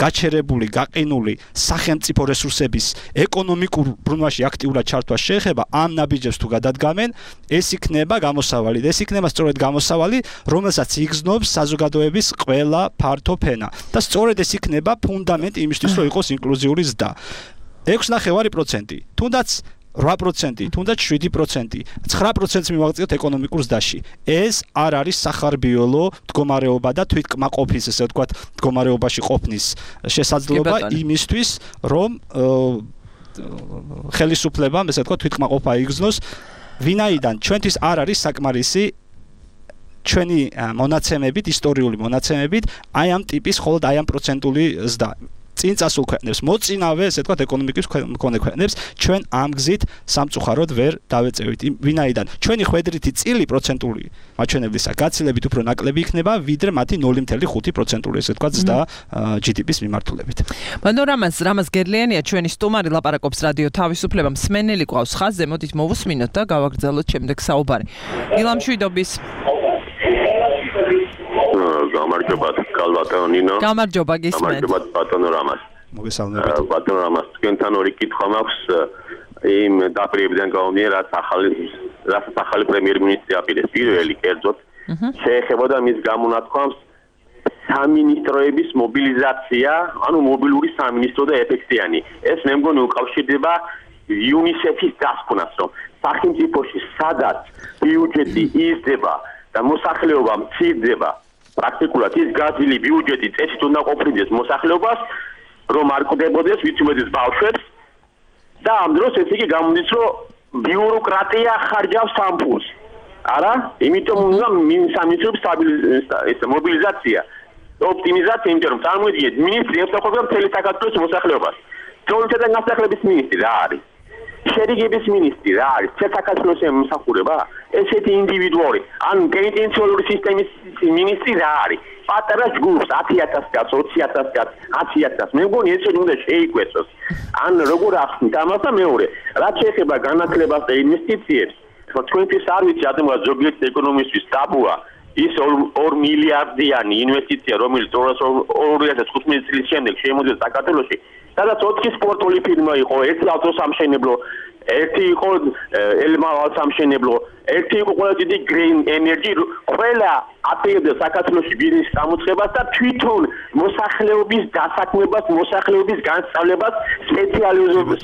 გაჩერებული, გაყინული სახელმწიფო რესურსების ეკონომიკურ ბრუნვაში აქტიურად ჩართვა შეეხება, ამ ნაბიჯებს თუ გადადგამენ, ეს იქნება გამოსავალი. ეს იქნება სწორედ გამოსავალი, რომელსაც იგრძნობს საზოგადოების ყველა ფართო ფენა. და სწორედ ეს იქნება ფუნდამენტი იმისთვის, რომ იყოს ინკლუზიური ზრდა. 6.9%, თუნდაც 8%, თუნდაც 7%, 9%-ს მივაღწიოთ ეკონომიკურ ზრდაში. ეს არ არის სახარბიელო მდგომარეობა და თვითკმაყოფის, ესე ვთქვათ, მდგომარეობაში ყოფნის შესაძლებლობა იმისთვის, რომ ხელისუფლებამ, ესე ვთქვათ, თვითკმაყოფა იგრძნოს, ვინაიდან ჩვენთვის არ არის საკმარისი ჩვენი მონაცემებით, ისტორიული მონაცემებით, აი ამ ტიპის მხოლოდ აი ამ პროცენტული ზრდა. წინ წასულ ქვეყნებს, მოწინავე, ესე ვთქვათ, ეკონომიკის მქონე ქვეყნებს, ჩვენ ამ გზით სამწუხაროდ ვერ დავეწევით. ვინაიდან ჩვენი ხვედრითი წილი პროცენტული მაჩვენებლისა გაცილებით უფრო ნაკლები იქნება, ვიდრე მათი 0.5%, ესე ვთქვათ, ზრდა GDP-ის მიმართულებით. ბატონ რამაზ გერლიანია ჩვენი სტუმარი, ლაპარაკობს რადიო თავისუფლება, მსმენელი ყავს ხაზზე, მოდით მოვუსმინოთ და გავაგრძელოთ შემდეგ საუბარი. ილამშვიდობის გამარჯობა კალბატონო ნინო. გამარჯობა გისმენთ. გამარჯობა ბატონო რამაზ. მოგესალმებით. ბატონო რამაზ, თქვენთან ორი კითხვა მაქვს იმ დაპირებიდან გამომდინარე, რაც ახალი პრემიერ-მინისტრი აპირებს. პირველი კერძოდ შეეხებოდა მის გამონათქვამს სამინისტროების მობილიზაცია, ანუ მობილური სამინისტრო და ეფექტიანი. ეს მე მგონი უკავშირდება UNICEF-ის დასკვნას, რომ სახელმწიფოში სადაც ბიუჯეტი იზრდება და მოსახლეობა მცირდება, პრაქტიკულად ის გაზილი ბიუჯეტი წესით უნდა ყოფილდეს მოსახლეობას, რომ არ კვდებოდეს ვიცნობდეს ბავშვებს და ამ დროს ეს იგი გამოდის, რომ ბიუროკრატია ხარჯავს ამ ფულს. არა? იმიტომ უნდა სამინისტროების მობილიზაცია, ოპტიმიზაცია, იმიტომ რომ წარმოიდგინეთ, მინისტრი ემსახურება მთელი საქართველოს მოსახლეობას. ძროულთა განსახლების მინისტრი რა არის? შერიგების მინისტრი რა არის? საქართველოს ემსახურება? ესეთი ინდივიდუალური, ან პენიტენციარული სისტემის მინისტრი რა არის? პატარა ჯგუფს 10,000 კაც, 20,000 კაც, 10,000. მე მგონი ესეთი უნდა შეიკვეცოს. ან როგორ ახსნით ამას და მეორე, რაც შეეხება განათლებას და ინვესტიციებს, თქვენთვის არ ვიცი ადმოა ზოგიერთ ეკონომისტვის ტაბუა ის 2 მილიარდიანი ინვესტიცია, რომელიც 2015 წლის შემდეგ შემოდის საქართველოში, სადაც 4 სპორტული ფირმა იყო, 1 ავტოსამშენებლო, 1 იყო ელმალსამშენებლო, 1 იყო ყველა დიდი green energy, ყველა აპირებდა საქართველოში ბიზნეს გამოცხებას და თვითონ მოსახლეობის დასაქმებას, მოსახლეობის განსწავლებას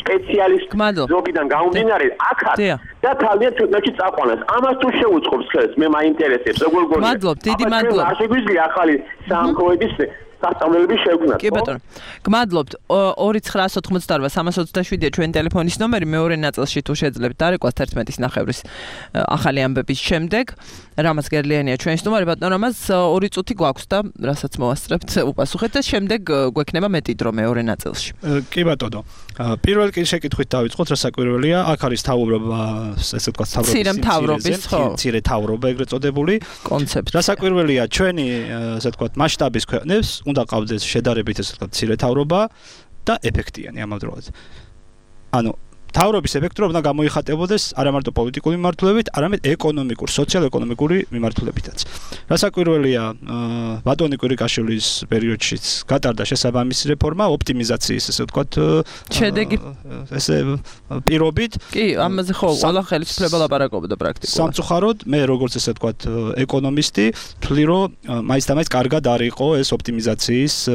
სპეციალისტებიდან გამომდინარე აქაც და თავიანთ ქვეყნებში წაყვანას. ამას თუ შეუწყობს ხელს, მე მაინტერესებს, როგორ გონია. მადლობ, დიდი მადლობა. არ შეგვიძლია ახალი სამხედროების სასწავლებლები შევქმნათ. კი ბატონო. გმადლობთ. 2988-327-ია ჩვენი ტელეფონის ნომერი, მეორე ნაწილში თუ შეძლებთ დარეკვა 11:09 ახალი ამბების შემდეგ. რამაზ გერლიანია ჩვენი სტუმარი, ბატონო რამაზ 2 წუთი გვაქვს და რასაც მოვასწრებთ უპასუხეთ და შემდეგ გვექნება მეტი დრო მეორე ნაწილში. კი ბატონო. პირველ კი შეკითხვით დავიწყოთ, რა საკვირველია, აქ არის თავრობა, ესე ვთქვათ, მცირე თავრობა ეგრეთ წოდებული კონცეფცია. რა საკვირველია, ჩვენი ესე ვთქვათ, მასშტაბის ქვეყნებს უნდა ყავდეს შედარებით ესე ვთქვათ, მცირე თავრობა და ეფექტიანი ამავდროულად. ანუ თავრობის ეფექტურობა უნდა გამოიხატებოდეს არა მარტო პოლიტიკური მიმართულებით, არამედ ეკონომიკურ, სოციალ-ეკონომიკური მიმართულებითაც. რა საკვირველია, ბატონი კვირიკაშვილის პერიოდშიც გატარდა შესაბამისი რეფორმა, ოპტიმიზაციის ესე ვთქვათ, შედეგი ესე პირობით. კი, ამაზე ხო, ყველა ხელისუფლება ლაპარაკობდა პრაქტიკულად. სამწუხაროდ, მე როგორც ესე ვთქვათ, ეკონომისტი, ვთვლი, რომ მაინც და მაინც კარგად არ იყო ეს ოპტიმიზაციის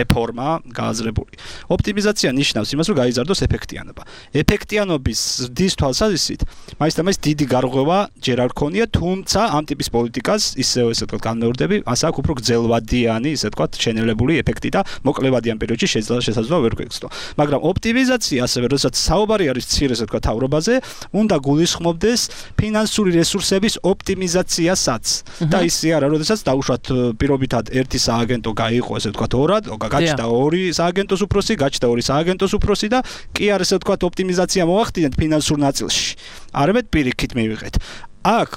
რეფორმა გააზრებული. ოპტიმიზაცია ნიშნავს იმას, რომ გაიზარდოს ეფექტიანობა. ეფექტიანობის ზრდის თვალსაზრისით, მაინც და მაინც დიდი გარღვევა ჯერ არ ქონია, თუმცა ამ ტიპის პოლიტიკას ისევ ესე ვთქვათ, განმეორდები, ასე აქვს უფრო გრძელვადიანი, ესე ვთქვათ, შენელებული ეფექტი და მოკლევადიან პერიოდში შესაძლოა ვერ გვექცდო. მაგრამ ოპტიმიზაცია ასევე, როდესაც საუბარი არის მცირე ესე ვთქვათ, თავრობაზე, უნდა გულისხმობდეს ფინანსური რესურსების ოპტიმიზაციასაც. და ისე არა, როდესაც დაუშვათ პირობითად ერთი სააგენტო გაიყო, ესე ვთქვათ, ორად, გაჩნდა 2 სააგენტოს უფროსი, გაჩნდა 2 სააგენტოს უფროსი და კი არ ესე ვთქვათ, ოპტიმიზაცია მოახდინეთ ფინანსურ ნაწილში. არამედ პირიქით მივიღეთ. აქ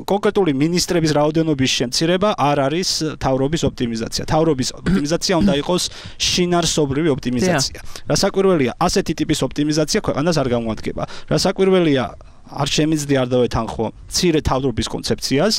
კონკრეტული მინისტრების რაოდენობის შემცირება არ არის თავრობის ოპტიმიზაცია. თავრობის ოპტიმიზაცია უნდა იყოს შინაარსობრივი ოპტიმიზაცია. რასაკვირველია, ასეთი ტიპის ოპტიმიზაცია ქვეყანას არ გამოადგება. რასაკვირველია, არ შემიძლია არ დავეთანხმო მცირე თავრობის კონცეფციას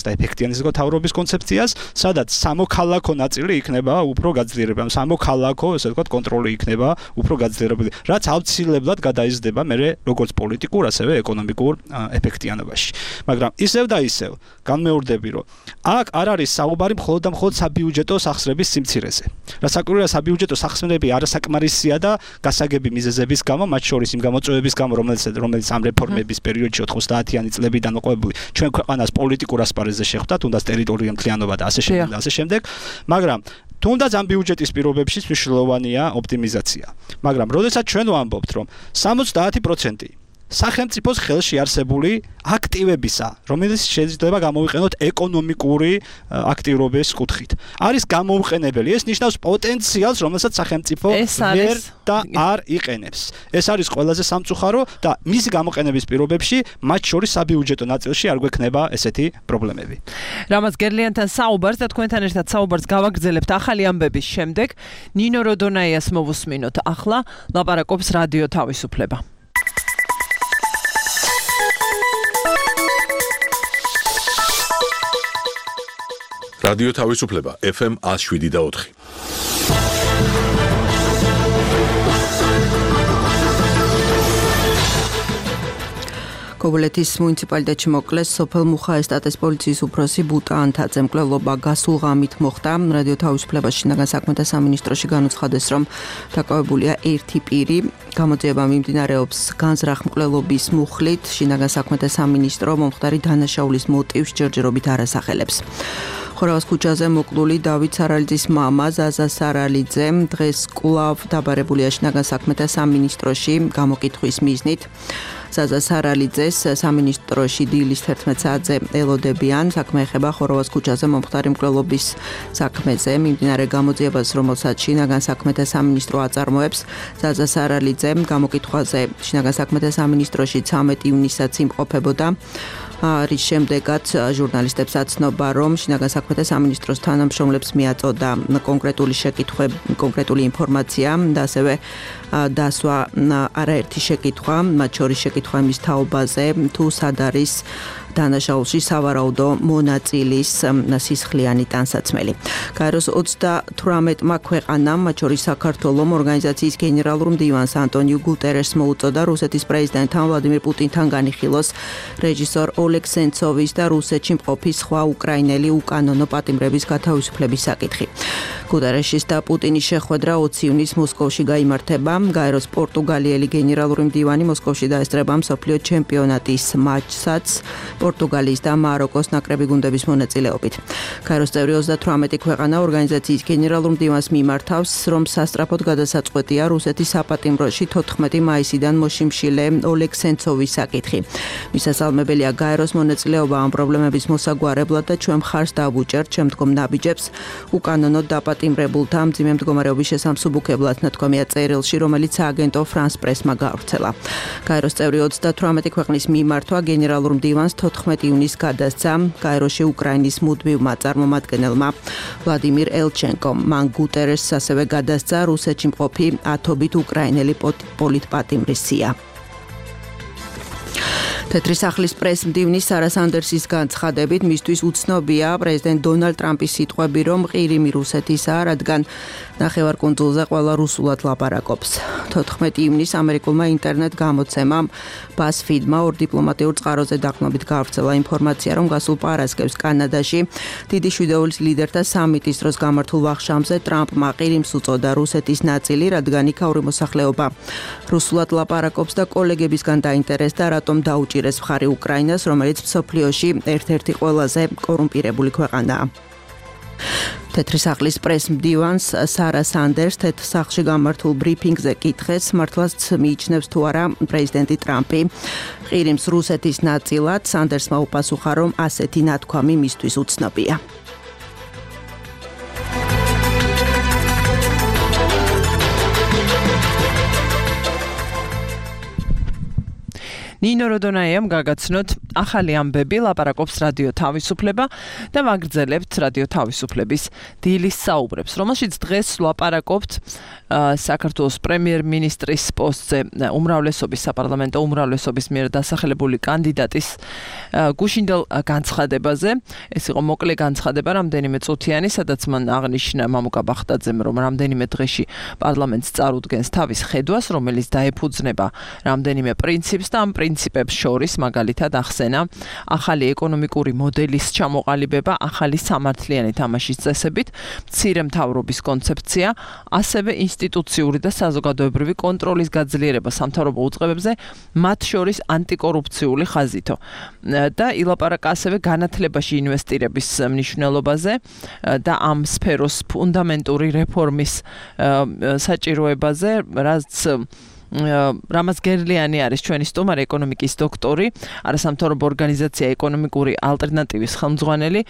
და ეფექტიანის თავრობის კონცეფციას, სადაც სამოქალაქო ნაწილი იქნება უფრო გაძლიერებული, სამოქალაქო, ესე ვთქვათ, კონტროლი იქნება უფრო გაძლიერებული, რაც აუცილებლად გადაიზრდება მერე როგორც პოლიტიკურ, ასევე ეკონომიკურ ეფექტიანობაში. მაგრამ ისევ და ისევ განმეორდები, რომ აქ არ არის საუბარი მხოლოდ და მხოლოდ საბიუჯეტო სახსრების სიმცირეზე. რასაკვირველია, საბიუჯეტო სახსრები არასაკმარისია და გასაგები მიზეზების გამო, მათ შორის იმ გამოწვევების გამო, რომელიც ამ რეფორმების პერიოდში 90-იანი წლებიდან მოყვებული ჩვენ ქვეყანას პოლიტიკურ ასპარეზზე შეხვდა, თუნდაც ტერიტორიული მთლიანობა და ასე შემდეგ, მაგრამ თუნდაც ამ ბიუჯეტის პირობებში მნიშვნელოვანია ოპტიმიზაცია. მაგრამ როდესაც ჩვენ ვამბობთ, რომ 70% სახელმწიფოს ხელში არსებული აქტივებისა, რომელიც შეიძლება გამოვიყენოთ ეკონომიკური აქტივობის კუთხით, არის გამოუყენებელი. ეს ნიშნავს პოტენციალს, რომელსაც სახელმწიფო ვერ და არ იყენებს. ეს არის ყველაზე სამწუხარო და მისი გამოყენების პირობებში, მათ შორის საბიუჯეტო ნაწილში არ გვექნება ესეთი პრობლემები. რამაც გერლიანთან საუბარს და თქვენთან ერთად საუბარს გავაგრძელებთ ახალი ამბების შემდეგ. ნინო როდონაიას მოვუსმინოთ ახლა, ლაპარაკობს რადიო თავისუფლება. რადიო თავისუფლება FM 107.4. კობილეთის მუნიციპალიტეტში მოკლეს სოფელ მუხაესტატეს პოლიციის უფროსი ბუტა ანთაძე. მკვლელობა გასულ ღამით მოხდა. რადიო თავისუფლებას შინაგან საქმეთა სამინისტროში განუცხადეს, რომ დაკავებულია ერთი პირი. გამოძიება მიმდინარეობს განზრახ მკვლელობის მუხლით. შინაგან საქმეთა სამინისტრო მომხდარი დანაშაულის მოტივს ჯერჯერობით არ ასახელებს. ხორავას ქუჩაზე მოკლული დავით სარალიძის მამა ზაზა სარალიძე დღეს კვლავ დაბარებულია შინაგან საქმეთა სამინისტროში გამოკითხვის მიზნით. ზაზა სარალიძეს სამინისტროში დილის 11 საათზე ელოდებიან. საქმე ეხება ხორავას ქუჩაზე მომხდარი მკვლელობის საქმეზე. მიმდინარე გამოძიებას, რომელსაც შინაგან საქმეთა სამინისტრო აწარმოებს, ზაზა სარალიძე გამოკითხვაზე შინაგან საქმეთა სამინისტროში 13 ივნისსაც იმყოფებოდა. რის შემდეგაც ჟურნალისტებს აცნობა, რომ შინაგან საქმეთა სამინისტროს თანამშრომლებს მიაწოდა კონკრეტული ინფორმაცია და ასევე დასვა არაერთი შეკითხვა, მათ შორის შეკითხვა იმის თაობაზე, თუ სად არის დანაშაულში სავარაუდო მონაწილის სისხლიანი ტანსაცმელი. გაეროს 38-მა ქვეყანამ, მათ შორის საქართველომ, ორგანიზაციის გენერალურ მდივანს ანტონიუ გუტერესს მოუწოდა რუსეთის პრეზიდენტთან ვლადიმირ პუტინთან განიხილოს რეჟისორ ოლეგ სენცოვის და რუსეთში მყოფი სხვა უკრაინელი უკანონო პატიმრების გათავისუფლების საკითხი. გუტერესის და პუტინის შეხვედრა 20 ივნისს მოსკოვში გაიმართება. გაეროს პორტუგალიელი გენერალური მდივანი მოსკოვში დაესწრება მსოფლიო ჩემპიონატის მატჩსაც პორტუგალიის და მაროკოს ნაკრები გუნდების მონაწილეობით. გაეროს წევრი 38 ქვეყანა ორგანიზაციის გენერალურ მდივანს მიმართავს, რომ სასწრაფოდ გადასაწყვეტია რუსეთის საპატიმროში 14 მაისიდან მოშიმშილე ოლეგ სენცოვის საკითხი. მისასალმებელია გაეროს მონაწილეობა ამ პრობლემების მოსაგვარებლად და ჩვენ მხარს დავუჭერთ შემდგომ ნაბიჯებს უკანონოდ დაპატიმრებულთა მძიმე მდგომარეობის შესამსუბუქებლად, ნათქვამია წერილში, რომელიც სააგენტო France Press-მა გავრცელა. გაეროს წევრი 38 ქვეყნის მიმართვა გენერალურ მდივანს 14 ივნისს გადასცა გაეროში უკრაინის მუდმივმა წარმომადგენელმა ვლადიმირ ელჩენკომ. მან გუტერესს ასევე გადასცა რუსეთში მყოფი ათობით უკრაინელი პოლიტპატიმრის სია. თეთრი სახლის პრეს-მდივნის სარა სანდერსის განცხადებით, მისთვის უცნობია პრეზიდენტ დონალდ ტრამპის სიტყვები, რომ ყირიმი რუსეთისაა, რადგან ნახევარკუნძულზე ყველა რუსულად ლაპარაკობს. 14 ივნისს ამერიკულმა ინტერნეტ გამოცემამ BuzzFeed-მა ორ დიპლომატიურ წყაროზე დაყრდნობით გავრცელა ინფორმაცია, რომ გასულ პარასკევს კანადაში დიდი შვიდეულის ლიდერთა სამიტის დროს გამართულ ვახშამზე ტრამპმა ყირიმს უწოდა რუსეთის ნაწილი, რადგან იქაური მოსახლეობა რუსულად ლაპარაკობს და კოლეგებისგან დაინტერესდა, რატომ დაუჭირეს მხარი უკრაინას, რომელიც მსოფლიოში ერთ-ერთი ყველაზე კორუმპირებული ქვეყანაა. თეთრი სახლის პრეს-მდივანს სარა სანდერს თეთრ სახლში გამართულ ბრიფინგზე კითხეს, მართლაც მიიჩნევს თუ არა პრეზიდენტი ტრამპი ყირიმს რუსეთის ნაწილად. სანდერსმა უპასუხა, რომ ასეთი ნათქვამი მისთვის უცნობია. ნინო როდონაიამ გაგაცნოთ ახალი ამბები, ლაპარაკობს რადიო თავისუფლება და ვაგრძელებთ რადიო თავისუფლების დილის საუბრებს, რომელშიც დღეს ლაპარაკობთ საქართველოს პრემიერ-მინისტრის პოსტზე უმრავლესობის საპარლამენტო უმრავლესობის მიერ დასახელებული კანდიდატის გუშინდელ განცხადებაზე. ეს იყო მოკლე განცხადება, რამდენიმე წუთიანი, სადაც მან აღნიშნა მამუკა ბახტაძემ, რომ რამდენიმე დღეში პარლამენტს წარუდგენს თავის ხედვას, რომელიც დაეფუძნება რამდენიმე პრინციპს და ამ პრინციპებს შორის მაგალითად ახსენა ახალი ეკონომიკური მოდელის ჩამოყალიბება, ახალი სამართლიანი თამაშის წესებით, მცირე მთავრობის კონცეფცია, ასევე ინსტიტუციური და საზოგადოებრივი კონტროლის გაძლიერება სამთავრობო უწყებებზე, მათ შორის ანტიკორუფციული ხაზითო. და ილაპარაკა ასევე განათლებაში ინვესტირების მნიშვნელობაზე და ამ სფეროს ფუნდამენტური რეფორმის საჭიროებაზე, რაც რამაზ გერლიანი არის ჩვენი სტუმარი, ეკონომიკის დოქტორი, არასამთავრობო ორგანიზაცია ეკონომიკური ალტერნატივის ხელმძღვანელი.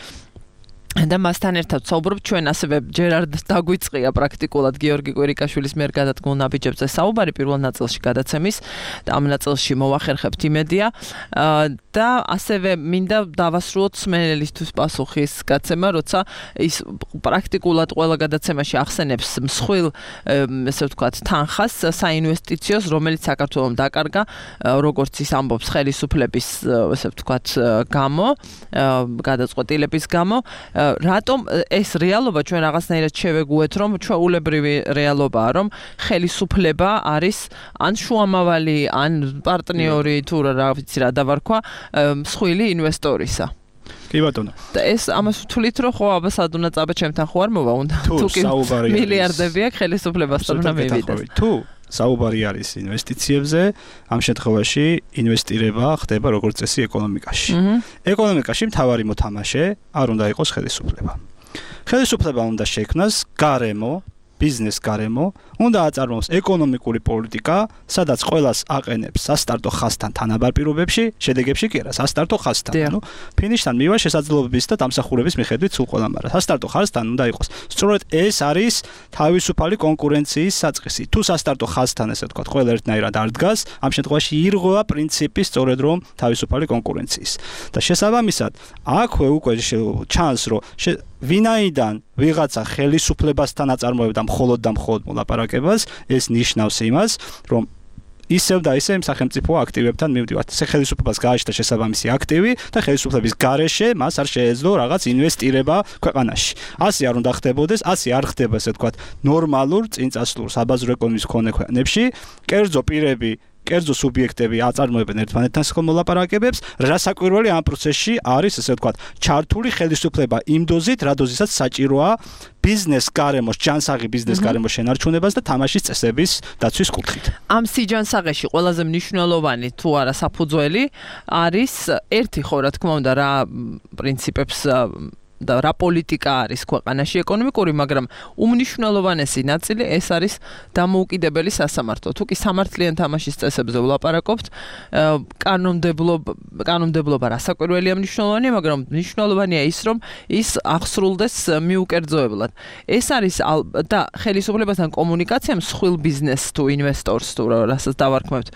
და მასთან ერთად საუბრობ ჩვენ ასევე ჯერ არ დაგვიწყია პრაქტიკულად გიორგი კვირიკაშვილის მიერ გადადგმულ ნაბიჯებზე საუბარი პირველ ნაწილში გადაცემის და ამ ნაწილში მოვახერხებთ იმედია და ასევე მინდა დავასრულოთ სმენელისთვის პასუხის გაცემა, როცა ის პრაქტიკულად ყველა გადაცემაში ახსენებს მსხვილ ესე ვთქვათ თანხას საინვესტიციოს, რომელიც საქართველოს დაკარგა, როგორც ის ამბობს ხელისუფლების ესე ვთქვათ გამო, გადაწყვეტილების გამო. რატომ ეს რეალობა ჩვენ რაღაცნაირად შევეგუეთ, რომ ჩვეულებრივი რეალობაა, რომ ხელისუფლება არის ან შუამავალი, ან პარტნიორი თუ რა ვიცი რა დავარქვა მსხვილი ინვესტორისა. კი ბატონო. და ეს ამას ვთვლით, რომ ხო აბა სადუნა წაბა ჩემთან ხო არ მოვა უნდა თუ კი მილიარდები აქვს ხელისუფლებასთან უნდა მივიდეს. თუ საუბარი არის ინვესტიციებზე, ამ შემთხვევაში ინვესტირება ხდება როგორც წესი ეკონომიკაში. ეკონომიკაში მთავარი მოთამაშე არ უნდა იყოს ხელისუფლება. ხელისუფლება უნდა შექმნას გარემო, ბიზნეს გარემო, უნდა აწარმოოს ეკონომიკური პოლიტიკა, სადაც ყველას აყენებს სასტარტო ხაზთან თანაბარ პირობებში, შედეგებში კი არა, სასტარტო ხაზთან. ანუ ფინიშთან მივა შესაძლებლობის და დამსახურების მიხედვით სულ ყველამ, მაგრამ სასტარტო ხაზთან უნდა იყოს. სწორედ ეს არის თავისუფალი კონკურენციის საწყისი. თუ სასტარტო ხაზთან ესე ვთქვათ, ყველა ერთნაირად არ დგას, ამ შემთხვევაში ირღვევა პრინციპი სწორედ რომ თავისუფალი კონკურენციის. და შესაბამისად, აქვე უკვე ჩანს, რომ ვინაიდან ვიღაცა ხელისუფლებასთან აწარმოებდა მხოლოდ და მხოლოდ მოლაპარაკებას, ეს ნიშნავს იმას, რომ ისევ და ისევ სახელმწიფო აქტივებთან მივდივართ. ხელისუფლებას გააჩნდა შესაბამისი აქტივი და ხელისუფლების გარეშე მას არ შეეძლო რაღაც ინვესტირება ქვეყანაში. ასე არ უნდა ხდებოდეს, ასე არ ხდება, ესე ვთქვათ, ნორმალურ წინწასვლურ საბაზრო ეკონომიკის მქონე ქვეყნებში, კერძო პირები კერძო სუბიექტები აწარმოებენ ერთმანეთთან სხელ მოლაპარაკებებს, რასაკვირველი ამ პროცესში არის, ესე ვთქვათ, ჩართული ხელისუფლება იმ დოზით, რა დოზისაც საჭიროა ბიზნეს გარემოს, ჯანსაღი ბიზნეს გარემოს შენარჩუნებას და თამაშის წესების დაცვის კუთხით. ამ სიჯანსაღეში ყველაზე მნიშვნელოვანი თუ არა საფუძველი არის ერთი ხო რა თქმა უნდა რა პრინციპებს და რა პოლიტიკა არის ქვეყანაში ეკონომიკური, მაგრამ უმნიშვნელოვანესი ნაწილი ეს არის დამოუკიდებელი სასამართლო. თუ კი სამართლიან თამაშის წესებზე ვლაპარაკობთ, კანონმდებლობა რასაკვირველია მნიშვნელოვანია, მაგრამ მნიშვნელოვანია ის, რომ ის აღსრულდეს მიუკერძოებლად. ეს არის და ხელისუფლებასთან კომუნიკაცია მსხვილ ბიზნესს თუ ინვესტორს თუ რასაც დავარქმევთ,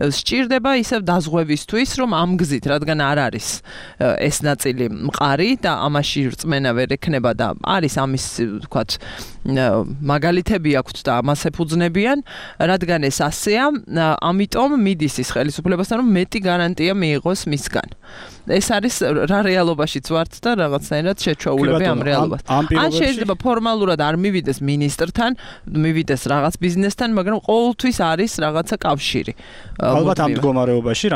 სჭირდება ისევ დაზღვევისთვის, რომ ამ გზით, რადგან არ არის ეს ნაწილი მყარი და ამაში რწმენა ვერ ექნება და არის ამის ვთქვათ მაგალითები აქვთ და ამას ეფუძნებიან, რადგან ეს ასეა, ამიტომ მიდის ის ხელისუფლებასთან, რომ მეტი გარანტია მიიღოს მისგან. ეს არის რა რეალობაშიც ვართ და რაღაცნაირად შეჩვეულები ამ რეალობას. ან შეიძლება ფორმალურად არ მივიდეს მინისტრთან, მივიდეს რაღაც ბიზნესთან, მაგრამ ყოველთვის არის რაღაცა კავშირი. ალბათ ამ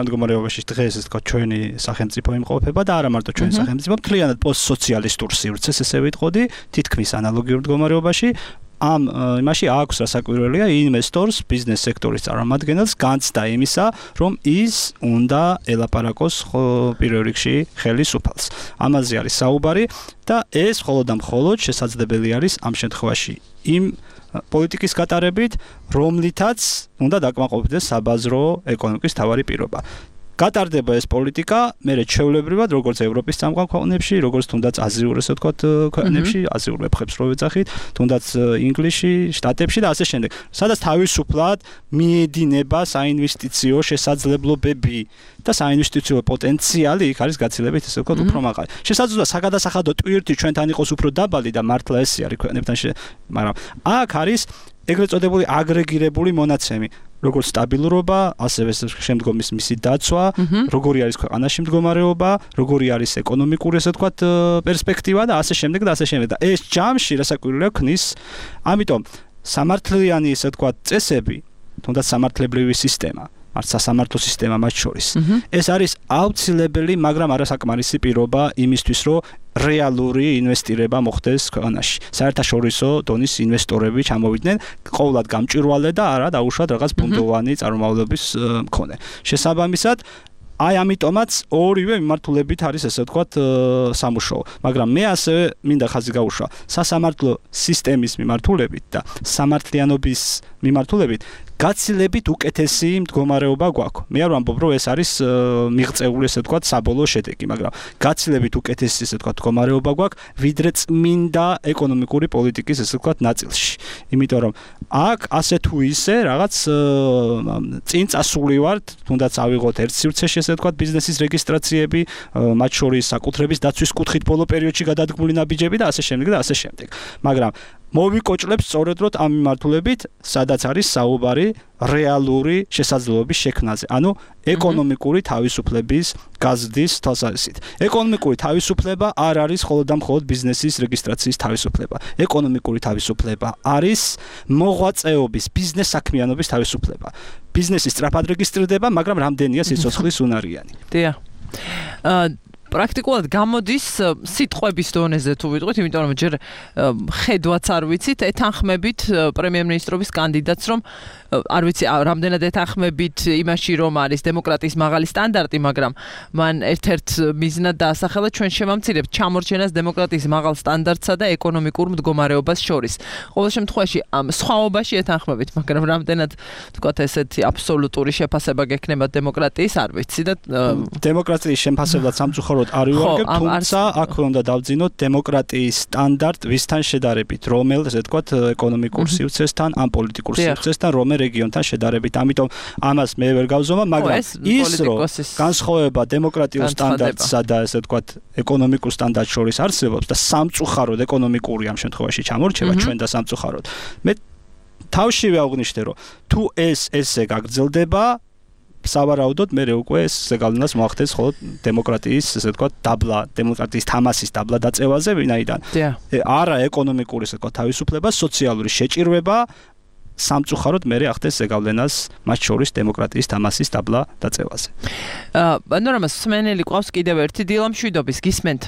მდგომარეობაში დღეს ეს თქვა ჩვენი სახელმწიფო იმყოფება და არა მარტო ჩვენი სახელმწიფო, მთლიანად პოსტსოციალისტურ სივრცეს ესე ვიტყოდი, თითქმის ანალოგიურ მდგომარეობაში. ამ იმაში აქვს რასაკვირველია ინვესტორს, ბიზნეს სექტორის წარმომადგენელს განცდა იმისა, რომ ის უნდა ელაპარაკოს პირველ რიგში ხელისუფალს. ამაზე არის საუბარი და ეს მხოლოდ და მხოლოდ შესაძლებელი არის ამ შემთხვევაში იმ პოლიტიკის გატარებით, რომლითაც უნდა დაკმაყოფილდეს საბაზრო ეკონომიკის მთავარი პირობა. გატარდება ეს პოლიტიკა, მე ჩვეულებრივად როგორც ევროპის წამყვან ქვეყნებში, როგორც თუნდაც აზიურ ესე ვთქვათ ქვეყნებში, აზიურ ვებხებს რო ვეძახით, თუნდაც ინგლისში, შტატებში და ასე შემდეგ. სადაც თავისუფლად მიედინება საინვესტიციო შესაძლებლობები და საინვესტიციო პოტენციალი იქ არის გაცილებით ესე ვთქვათ უფრო მაღალი. შესაძლოა საგადასახადო ტვირთი ჩვენთან იყოს უფრო დაბალი და მართლა ესე არის ქვეყნებთან, მაგრამ აქ არის ეგრეთ წოდებული აგრეგირებული მონაცემი. როგორც სტაბილურობა, ასევე შემდგომის მისი დაცვა, როგორი არის ქვეყანაში მდგომარეობა, როგორი არის ეკონომიკური ესე ვთქვათ პერსპექტივა და ასე შემდეგ და ასე შემდეგ. და ეს ჯამში რასაკვირველია ქნის, ამიტომ სამართლიანი ესე ვთქვათ წესები, თუნდაც სამართლებრივი სისტემა, არც სასამართლო სისტემა მათ შორის. ეს არის აუცილებელი, მაგრამ არასაკმარისი პირობა იმისთვის, რომ რეალური ინვესტირება მოხდეს ქვეყანაში. საერთაშორისო დონის ინვესტორები ჩამოვიდნენ, ყოვლად გამჭვირვალე და არა დაუშვათ რაღაც ბუნდოვანი წარმომავლობის მქონე. შესაბამისად, აი ამიტომაც ორივე მიმართულებით არის ესე ვთქვათ სამუშაო. მაგრამ მე ასევე მინდა ხაზი გაუშვა სასამართლო სისტემის მიმართულებით და სამართლიანობის მიმართულებით გაცილებით უკეთესი მდგომარეობა გვაქვს. მე არ ვამბობ, რომ ეს არის მიღწეული ესე ვთქვათ საბოლოო შედეგი, მაგრამ გაცილებით უკეთესი ესე ვთქვათ მდგომარეობა გვაქვს, ვიდრე წმინდა ეკონომიკური პოლიტიკის ესე ვთქვათ ნაწილში. იმიტომ რომ აქ ასე თუ ისე რაღაც წინ წასული ვართ, თუნდაც ავიღოთ ერთ სივრცეში ესე ვთქვათ ბიზნესის რეგისტრაციები, მათ შორის საკუთრების დაცვის კუთხით ბოლო პერიოდში გადადგმული ნაბიჯები და ასე შემდეგ და ასე შემდეგ. მაგრამ მოვიკოჭლებს სწორედ რომ ამ მიმართულებით, სადაც არის საუბარი რეალური შესაძლებლობის შექმნაზე. ანუ ეკონომიკური თავისუფლების გაზრდის თვალსაზრისით. ეკონომიკური თავისუფლება არ არის მხოლოდ და მხოლოდ ბიზნესის რეგისტრაციის თავისუფლება. ეკონომიკური თავისუფლება არის მოღვაწეობის, ბიზნეს საქმიანობის თავისუფლება. ბიზნესი სწრაფად რეგისტრირდება, მაგრამ რამდენია სიცოცხლის უნარიანი. დიახ. პრაქტიკულად გამოდის სიტყვების დონეზე თუ ვიტყვით, იმიტომ რომ ჯერ ხედვაც არ ვიცით, ეთანხმებით პრემიერ-მინისტრობის კანდიდატს, რომ არ ვიცი, რამდენად ეთანხმებით იმაში, რომ არის დემოკრატიის მაღალი სტანდარტი, მაგრამ მან ერთ-ერთ მიზნად დაასახელა ჩვენ შევამცირებთ ჩამორჩენას დემოკრატიის მაღალ სტანდარტსა და ეკონომიკურ მდგომარეობას შორის. ყოველ შემთხვევაში ამ სხვაობაში ეთანხმებით, მაგრამ რამდენად თქვათ ესეთი აბსოლუტური შეფასება გექნება დემოკრატიის, არ ვიცი და დემოკრატიის შეფასებლად სამწუხაროდ არ ვიუღებ, თუმცა აქ უნდა დავძინოთ დემოკრატიის სტანდარტ ვისთან შედარებით, რომელ ესე ვთქვათ ეკონომიკურ სივრცესთან, ან პოლიტიკურ სივრცესთან, რომელ რეგიონთან შედარებით. ამიტომ ამას მე ვერ გავზომავ, მაგრამ ის რომ განსხვავება დემოკრატიულ სტანდარტსა და ესე ვთქვათ ეკონომიკურ სტანდარტს შორის არსებობს და სამწუხაროდ ეკონომიკური ამ შემთხვევაში ჩამორჩება ჩვენ და სამწუხაროდ. მე თავშივე აღვნიშნე, რომ თუ ესე გაგრძელდება, სავარაუდოდ მე უკვე ეს ზეგავლენას მოახდენს მხოლოდ დემოკრატიის ესე ვთქვათ დაბლა, დემოკრატიის თამასის დაბლა დაწევაზე, ვინაიდან არა ეკონომიკური ესე ვთქვათ თავისუფლება, სოციალური შეჭირვება სამწუხაროდ მე ახდენს ზეგავლენას მათ შორის დემოკრატიის თამასის დაბლა დაწევაზე. პანორამას სმენელი ყავს კიდევ ერთი დილამშვიდობის გისმენთ.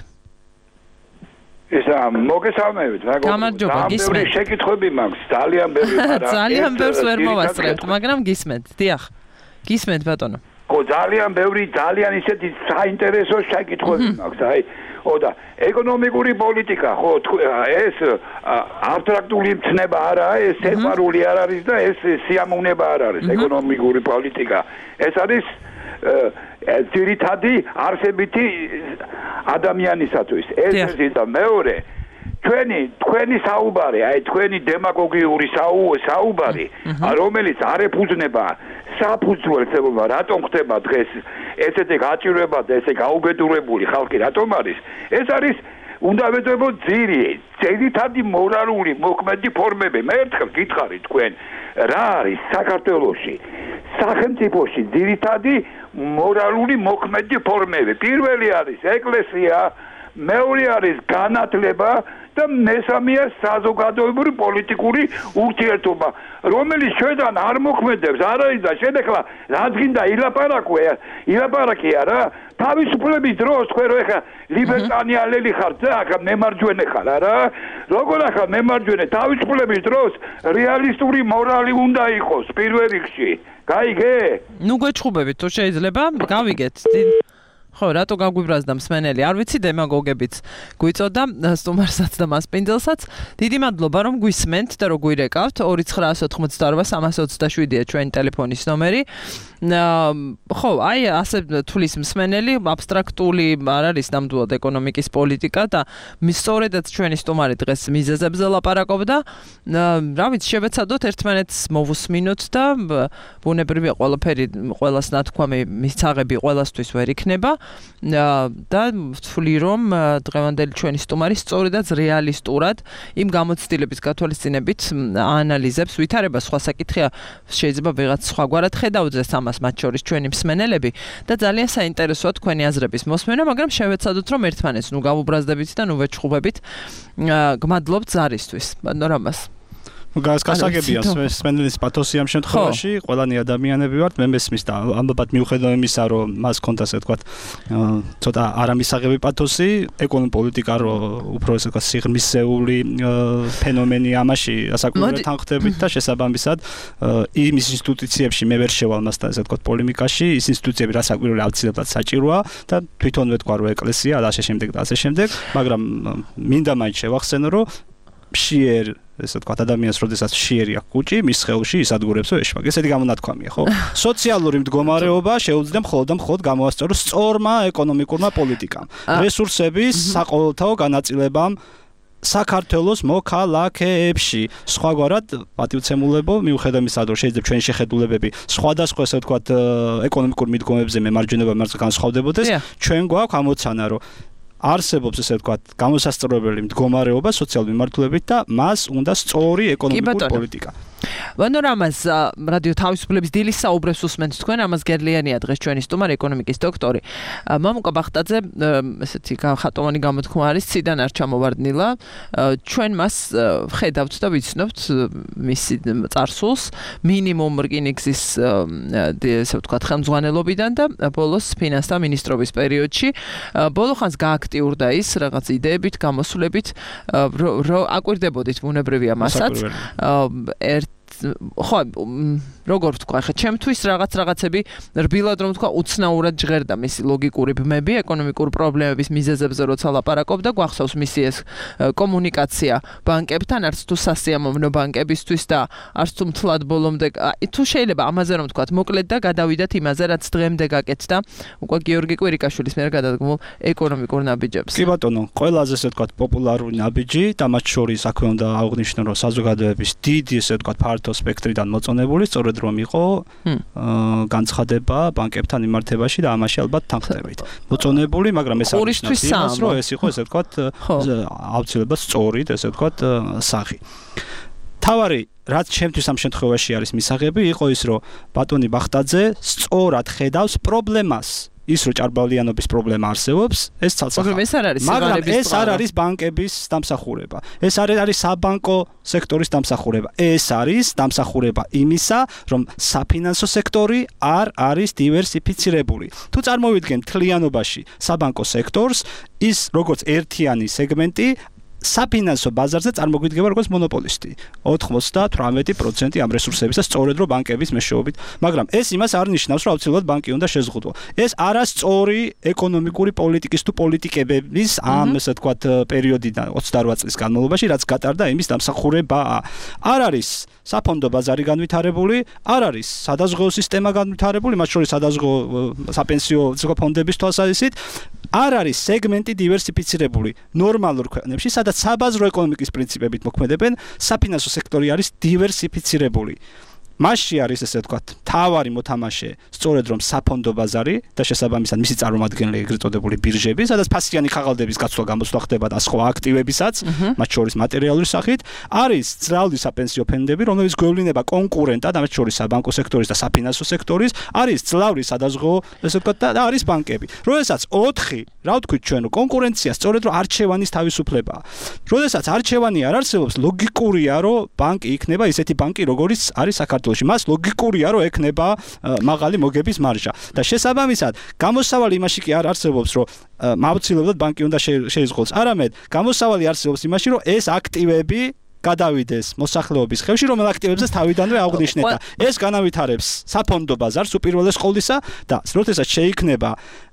ესა მოგესალმებით, გამარჯობა, გისმენთ. შეკითხვები მაქვს, ძალიან ბევრი, მაგრამ ძალიან ბევრს ვერ მოვასწრებთ, მაგრამ გისმენთ. დიახ. გისმენთ ბატონო. ხო, ძალიან ბევრი, ძალიან ისეთი საინტერესო შეკითხვები მაქვს, აი და ეკონომიკური პოლიტიკა, ხო, ეს აბსტრაქტული მცნება არაა, ეს სეპარული არ არის და ეს სიამოვნება არ არის ეკონომიკური პოლიტიკა. ეს არის ძირითადი არსებითი ადამიანისათვის. ეს და მეორე თქვენი საუბარი, აი თქვენი დემაგოგიური საუბარი, რომელიც არ ეფუძნება საფუძველს, რატომ ხდება დღეს ესეთი გაჭირვება და ესე გაუბედურებული ხალხი რატომ არის? ეს არის უნდა ვეძებოთ ძირითადი მორალური მოქმედი ფორმები. მე ერთხელ გითხარით თქვენ, რა არის საქართველოში სახელმწიფოში ძირითადი მორალური მოქმედი ფორმები? პირველი არის ეკლესია, მეორე არის განათლება და მესამეა საზოგადოებრივი პოლიტიკური ურთიერთობა, რომელიც ჩვენთან არ მოქმედებს, არ არის და შედეხლა რაც გინდა ილაპარაკია რა, თავისუფლების დროს თქვენ რო ეხა ლიბერტანიალელი ხართ და ახლა მემარჯვენე ხარ არა? როგორ ახლა მემარჯვენე თავისუფლების დროს რეალისტური მორალი უნდა იყოს პირველ რიგში. გაიგე? ნუ გვეჩხუბებით თუ შეიძლება, გავიგეთ. ხო, რატო გაგვიბრაზდა მსმენელი? არ ვიცი, დემაგოგებიც გვიწოდა სტუმარსაც და მასპინძელსაც. დიდი მადლობა რომ გვისმენთ და რომ გვირეკავთ. 2988 327-ია ჩვენი ტელეფონის ნომერი. ხო, აი ასე თulis მსმენელი აბსტრაქტული არ არის ნამდვილად ეკონომიკის პოლიტიკა და სწორედაც ჩვენი სტუმარი დღეს მიზეზებზე ლაპარაკობდა. რა ვიცი, შევეცადოთ ერთმანეთს მოვუსმინოთ და ბუნებრივია ყველაფერი, ყველას ნათქვამი მისაღები ყველასთვის ვერ იქნება და ვთვლი რომ დღევანდელი ჩვენი სტუმარი სწორედაც რეალისტურად იმ გამოცდილების გათვალისწინებით აანალიზებს, ვითარება სხვა საკითხია, შეიძლება ვიღაც სხვაგვარად ხედავდეს ამას, მათ შორის ჩვენი მსმენელები და ძალიან საინტერესოა თქვენი აზრების მოსმენა, მაგრამ შევეცადოთ რომ ერთმანეთს ნუ გავუბრაზდებით და ნუ ვეჩხუბებით. გმადლობთ ზარისთვის, პანორამას. გასაგებია სპენდელის პათოსი ამ შემთხვევაში, ყველანი ადამიანები ვართ, მე მესმის და ამბობთ მიუხედავად იმისა, რომ მას კონდა ასე ვთქვათ, ცოტა არამისაღები პათოსი, ეკონომიკური პოლიტიკა რო უფრო ასე ვთქვათ სიღრმისეული ფენომენი ამაში ასაკურებად თანხმდებით და შესაბამისად იმ ინსტიტუციებში მე ვერ შევალ მასთან ასე ვთქვათ პოლემიკაში, ის ინსტიტუციები რაც საკვირველი აუცილებლად საჭიროა და თვითონ ვეთქვა რომ ეკლესია და ასე შემდეგ და ასე შემდეგ, მაგრამ მინდა მაინც შევახსენო რომ მშიერ ესე ვთქვათ ადამიანს როდესაც მშიერი აქვს კუჭი მის სხეულში ის ადგურებსო ეშმაკი ესეთი გამონათქვამია ხო სოციალური მდგომარეობა შეუძლია მხოლოდ და მხოლოდ გამოასწოროს სწორმა ეკონომიკურმა პოლიტიკამ რესურსების საყოველთაო განაწილებამ საქართველოს მოქალაქეებში სხვაგვარად პატივცემულებო მიუხედავად იმისა რომ შეიძლება ჩვენი შეხედულებები სხვადასხვა ესე ვთქვათ ეკონომიკურ მიდგომებზე მემარჯვენებად განსხვავდებოდეს ჩვენ გვაქვს ამოცანა რომ არსებობს ესე ვთქვათ გამოსასწორებელი მდგომარეობა სოციალური მიმართულებით და მას უნდა სწორი ეკონომიკური პოლიტიკა. ვანორამას რადიო თავისუფლების დილის საუბრებს უსმენთ თქვენ, ამას გერლიანია დღეს ჩვენი სტუმარი ეკონომიკის დოქტორი. მამუკა ბახტაძე ესეთი ხატოვანი გამოთქმა არის ციდან არ ჩამოვარდნილა. ჩვენ მას ხედავთ და ვიცნობთ მისი წარსულს მინიმუმ რკინიგზის ესე ვთქვათ ხელმძღვანელობიდან და ბოლოს ფინანსთა მინისტრობის პერიოდში. ბოლო ხანს გააქტიურდა ის რაღაც იდეებით, გამოსვლებით, რომ აკვირდებოდით ბუნებრივია მასაც. ხო, როგორ ვთქვა, ხა ჩემთვის რაღაცები რბილად რომ ვთქვა, უცნაურად ჟღერდა მისი ლოგიკური ბმები ეკონომიკურ პრობლემების მიზეზებზე როცა ლაპარაკობდა, გვახსოვს მისი ეს კომუნიკაცია ბანკებთან, არც თუ სასიამოვნო ბანკებისთვის და არც თუ მთლად ბოლომდე, თუ შეიძლება ამაზე რომ ვთქვა, მოკლედ და გადავიდათ იმაზე, რაც დღემდე გაკეთდა, უკვე გიორგი კვირიკაშვილის მიერ გადადგმულ ეკონომიკურ ნაბიჯებს. კი ბატონო, ყველაზე ესე ვთქვა პოპულარული ნაბიჯი და მათ შორის აქვე უნდა აღვნიშნო, რომ საზოგადოების დიდი ესე ვთქვა ფართო სპექტრიდან მოწონებული, სწორედ რომ იყო განცხადება ბანკებთან მიმართებაში და ამაში ალბათ თანხმდებით. მოწონებული, მაგრამ ეს არის იმას, რომ ეს იყო ესე ვთქვათ აუცილებლად სწორი, ესე ვთქვათ სახი. თავარი რაც ჩემთვის ამ შემთხვევაში არის მისაღები, იყო ის, რომ ბატონი ბახტაძე სწორად ხედავს პრობლემას. ის რო ჭარბალიანობის პრობლემა არსებობს, ეს ცალსახაა. მაგრამ ეს არ არის ბანკების დამსახურება. ეს არის საბანკო სექტორის დამსახურება. ეს არის დამსახურება იმისა, რომ საფინანსო სექტორი არ არის დივერსიფიცირებული. თუ წარმოვიდგენ მთლიანობაში საბანკო სექტორს, ის როგორც ერთიანი სეგმენტი საფინანსო ბაზარზე წარმოგვიდგება როგორც მონოპოლისტი. 98% ამ რესურსების და სწორედ რომ ბანკების მეშვეობით, მაგრამ ეს იმას არ ნიშნავს, რომ აუცილებლად ბანკი უნდა შეზღუდო. ეს არასწორი ეკონომიკური პოლიტიკის თუ პოლიტიკებების ამ ესე ვთქვათ პერიოდიდან 28 წლის განმავლობაში, რაც გატარდა იმის დამსახურებაა. არ არის საფონდო ბაზარი განვითარებული, არ არის სადაზღვეო სისტემა განვითარებული, მათ შორის სადაზღვეო საპენსიო ფონდების თვალსაზრისით არ არის სეგმენტი დივერსიფიცირებული ნორმალურ ქვეყნებში, სადაც საბაზრო ეკონომიკის პრინციპებით მოქმედებენ, საფინანსო სექტორი არის დივერსიფიცირებული. მასში არის ესე ვთქვათ, თავარი მოთამაშე, სწორედ რომ საფონდო ბაზარი და შესაბამისად მისი წარმომადგენელი ეგრეთ წოდებული ბირჟები, სადაც ფასიანი ხაღალდების გაცვლა გამოსვლა ხდება და სხვა აქტივებისაც, მათ შორის მატერიალური სახით, არის ძრავი საპენსიო ფონდები, რომლებიც გვევლინება კონკურენტად, მათ შორის საბანკო სექტორის და საფინანსო სექტორის, არის ძრავი სადაზღვეო, ესე ვთქვათ, და არის ბანკები. როდესაც 4, რა ვთქვით ჩვენ, კონკურენცია სწორედ რომ არჩევანის თავისუფლებაა. როდესაც არჩევანი არ არსებობს, ლოგიკურია, რომ ბანკი იქნება ისეთი ბანკი, როგორიც არის საქართველოში. მას ლოგიკურია, რომ ექნება მაღალი მოგების მარჟა. და შესაბამისად, გამოსავალი იმაში კი არ არსებობს, რომ აუცილებლად ბანკი უნდა შეიზღუდოს. არამედ, გამოსავალი არსებობს იმაში, რომ ეს აქტივები გადავიდეს მოსახლეობის ხელში, რომელ აქტივებსაც თავიდანვე აღვნიშნეთ და ეს განავითარებს საფონდო ბაზარს უპირველეს ყოვლისა და როდესაც შეიქმნება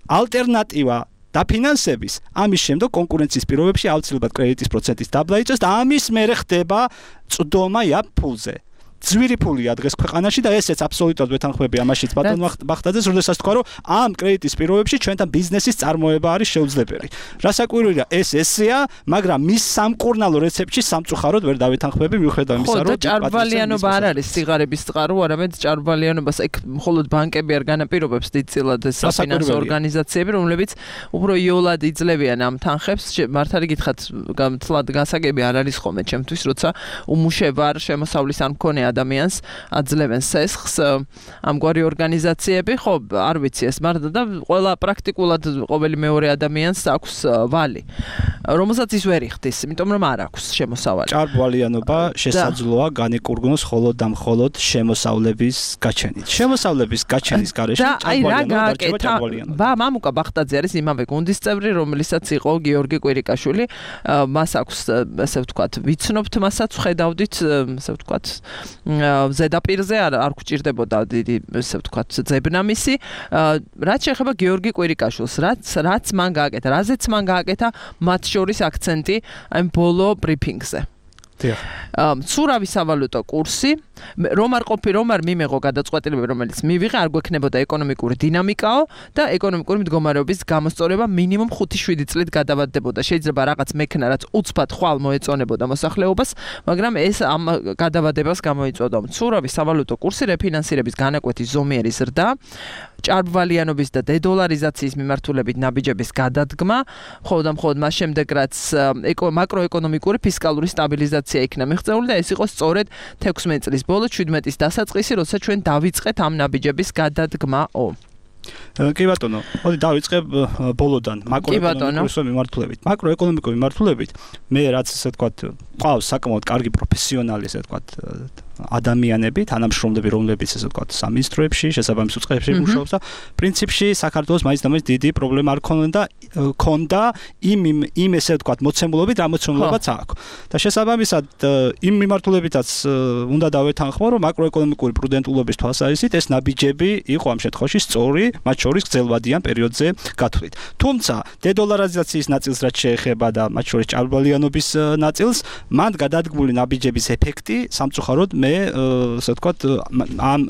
ალტერნატივა დაფინანსების, ამის შემდეგ კონკურენციის პირობებში აუცილებლად კრედიტის პროცენტის დაბლა იწევს და ამის მერე ხდება წვდომა იაფ ფულზე. ძვირი ფულია დღეს ქვეყანაში და ესეც აბსოლუტურად ვეთანხმები ამაშიც ბატონ ბახტაძეს, როდესაც თქვა რომ ამ კრედიტის პირობებში ჩვენთან ბიზნესის წარმოება არის შეუძლებელი. რასაკვირველია ეს ესეა, მაგრამ მის სამკურნალო რეცეპტში სამწუხაროდ ვერ დავეთანხმები მიუხედავად იმისა, რომ ჭარბვალიანობა არ არის სიგარების წყარო, არამედ ჭარბვალიანობას ეგ მხოლოდ ბანკები არ განაპირობებს დიდწილად საფინანსო ორგანიზაციები, რომლებიც უფრო იოლად იძლევიან ამ თანხებს. მართალი გითხრათ, თლად გასაგები არ არის ხოლმე ჩემთვის, როცა უმუშევარ შემოსავლის არ მქონე ადამიანს აძლევენ სესხს ამგვარი ორგანიზაციები, ხო, არ ვიცი ეს მარტო და ყველა პრაქტიკულად ყოველი მეორე ადამიანს აქვს ვალი, რომელსაც ის ვერ იხდის, იმიტომ რომ არ აქვს შემოსავალი. ჭარბვალიანობა შესაძლოა განეკურგნოს მხოლოდ და მხოლოდ შემოსავლების გაჩენით. შემოსავლების გაჩენის გარეშე ჭარბვალიანობა დარჩება ჭარბვალიანობა. მამუკა ბახტაძე არის იმავე გუნდის წევრი, რომელსაც იყო გიორგი კვირიკაშვილი. მას აქვს, ასე ვთქვათ, ვიცნობთ მასაც, ხედავდით, ასე ვთქვათ, ზედაპირზე არ გვჭირდებოდა დიდი, ასე ვთქვათ, ძებნა მისი. რაც შეეხება გიორგი კვირიკაშვილს, რაც მან გააკეთა, რაზეც მან გააკეთა, მათ შორის აქცენტი აი ბოლო ბრიფინგზე. მცურავი სავალუტო კურსი, რომ არ მიმეღო გადაწყვეტილებები, რომელიც მივიღე, არ გვექნებოდა ეკონომიკური დინამიკაო და ეკონომიკური მდგომარეობის გამოსწორება მინიმუმ 5-7 წლით გადავადდებოდა. შეიძლება რაღაც მექნა, რაც უცბად ხვალ მოეწონებოდა მოსახლეობას, მაგრამ ეს ამ გადავადებას გამოიწვევდა. მცურავი სავალუტო კურსი, რეფინანსირების განაკვეთი ზომიერი ზრდა, ჭარბვალიანობის და დედოლარიზაციის მიმართულებით ნაბიჯების გადადგმა, მხოლოდ მას შემდეგ რაც მაკროეკონომიკური ფისკალური სტაბილიზაცია იქნა მიღწეული და ეს იყო სწორედ 16 წლის ბოლო 17-ის დასაწყისი, როცა ჩვენ დავიწყეთ ამ ნაბიჯების გადადგმაო. კი ბატონო, მოდი დავიწყებ ბოლოდან მაკროეკონომიკური მიმართულებით. მაკროეკონომიკური მიმართულებით მე რაც ასე ვთქვათ, ყავს საკმაოდ კარგი პროფესიონალი, ასე ვთქვათ, ადამიანები, თანამშრომლები, რომლებიც ასე ვთქვათ, სამინისტროებში, შესაბამის უწყებებში მუშაობს და პრინციპში საქართველოს მაინც და მაინც დიდი პრობლემა არ ქონდა იმ ესე ვთქვათ, მოცემულობით, რა მოცემულობაც აქვს. და შესაბამისად იმ მიმართულებითაც უნდა დავეთანხმო, რომ მაკროეკონომიკური პრუდენტულობის თვალსაზრისით ეს ნაბიჯები იყო ამ შემთხვევაში სწორი, მათ შორის გრძელვადიან პერიოდზე გათვლით. თუმცა დედოლარიზაციის ნაწილს რაც შეეხება და მათ შორის ჭარბვალიანობის ნაწილს, მან გადადგმული ნაბიჯების ეფექტი სამწუხაროდ მე ასე ვთქვათ ამ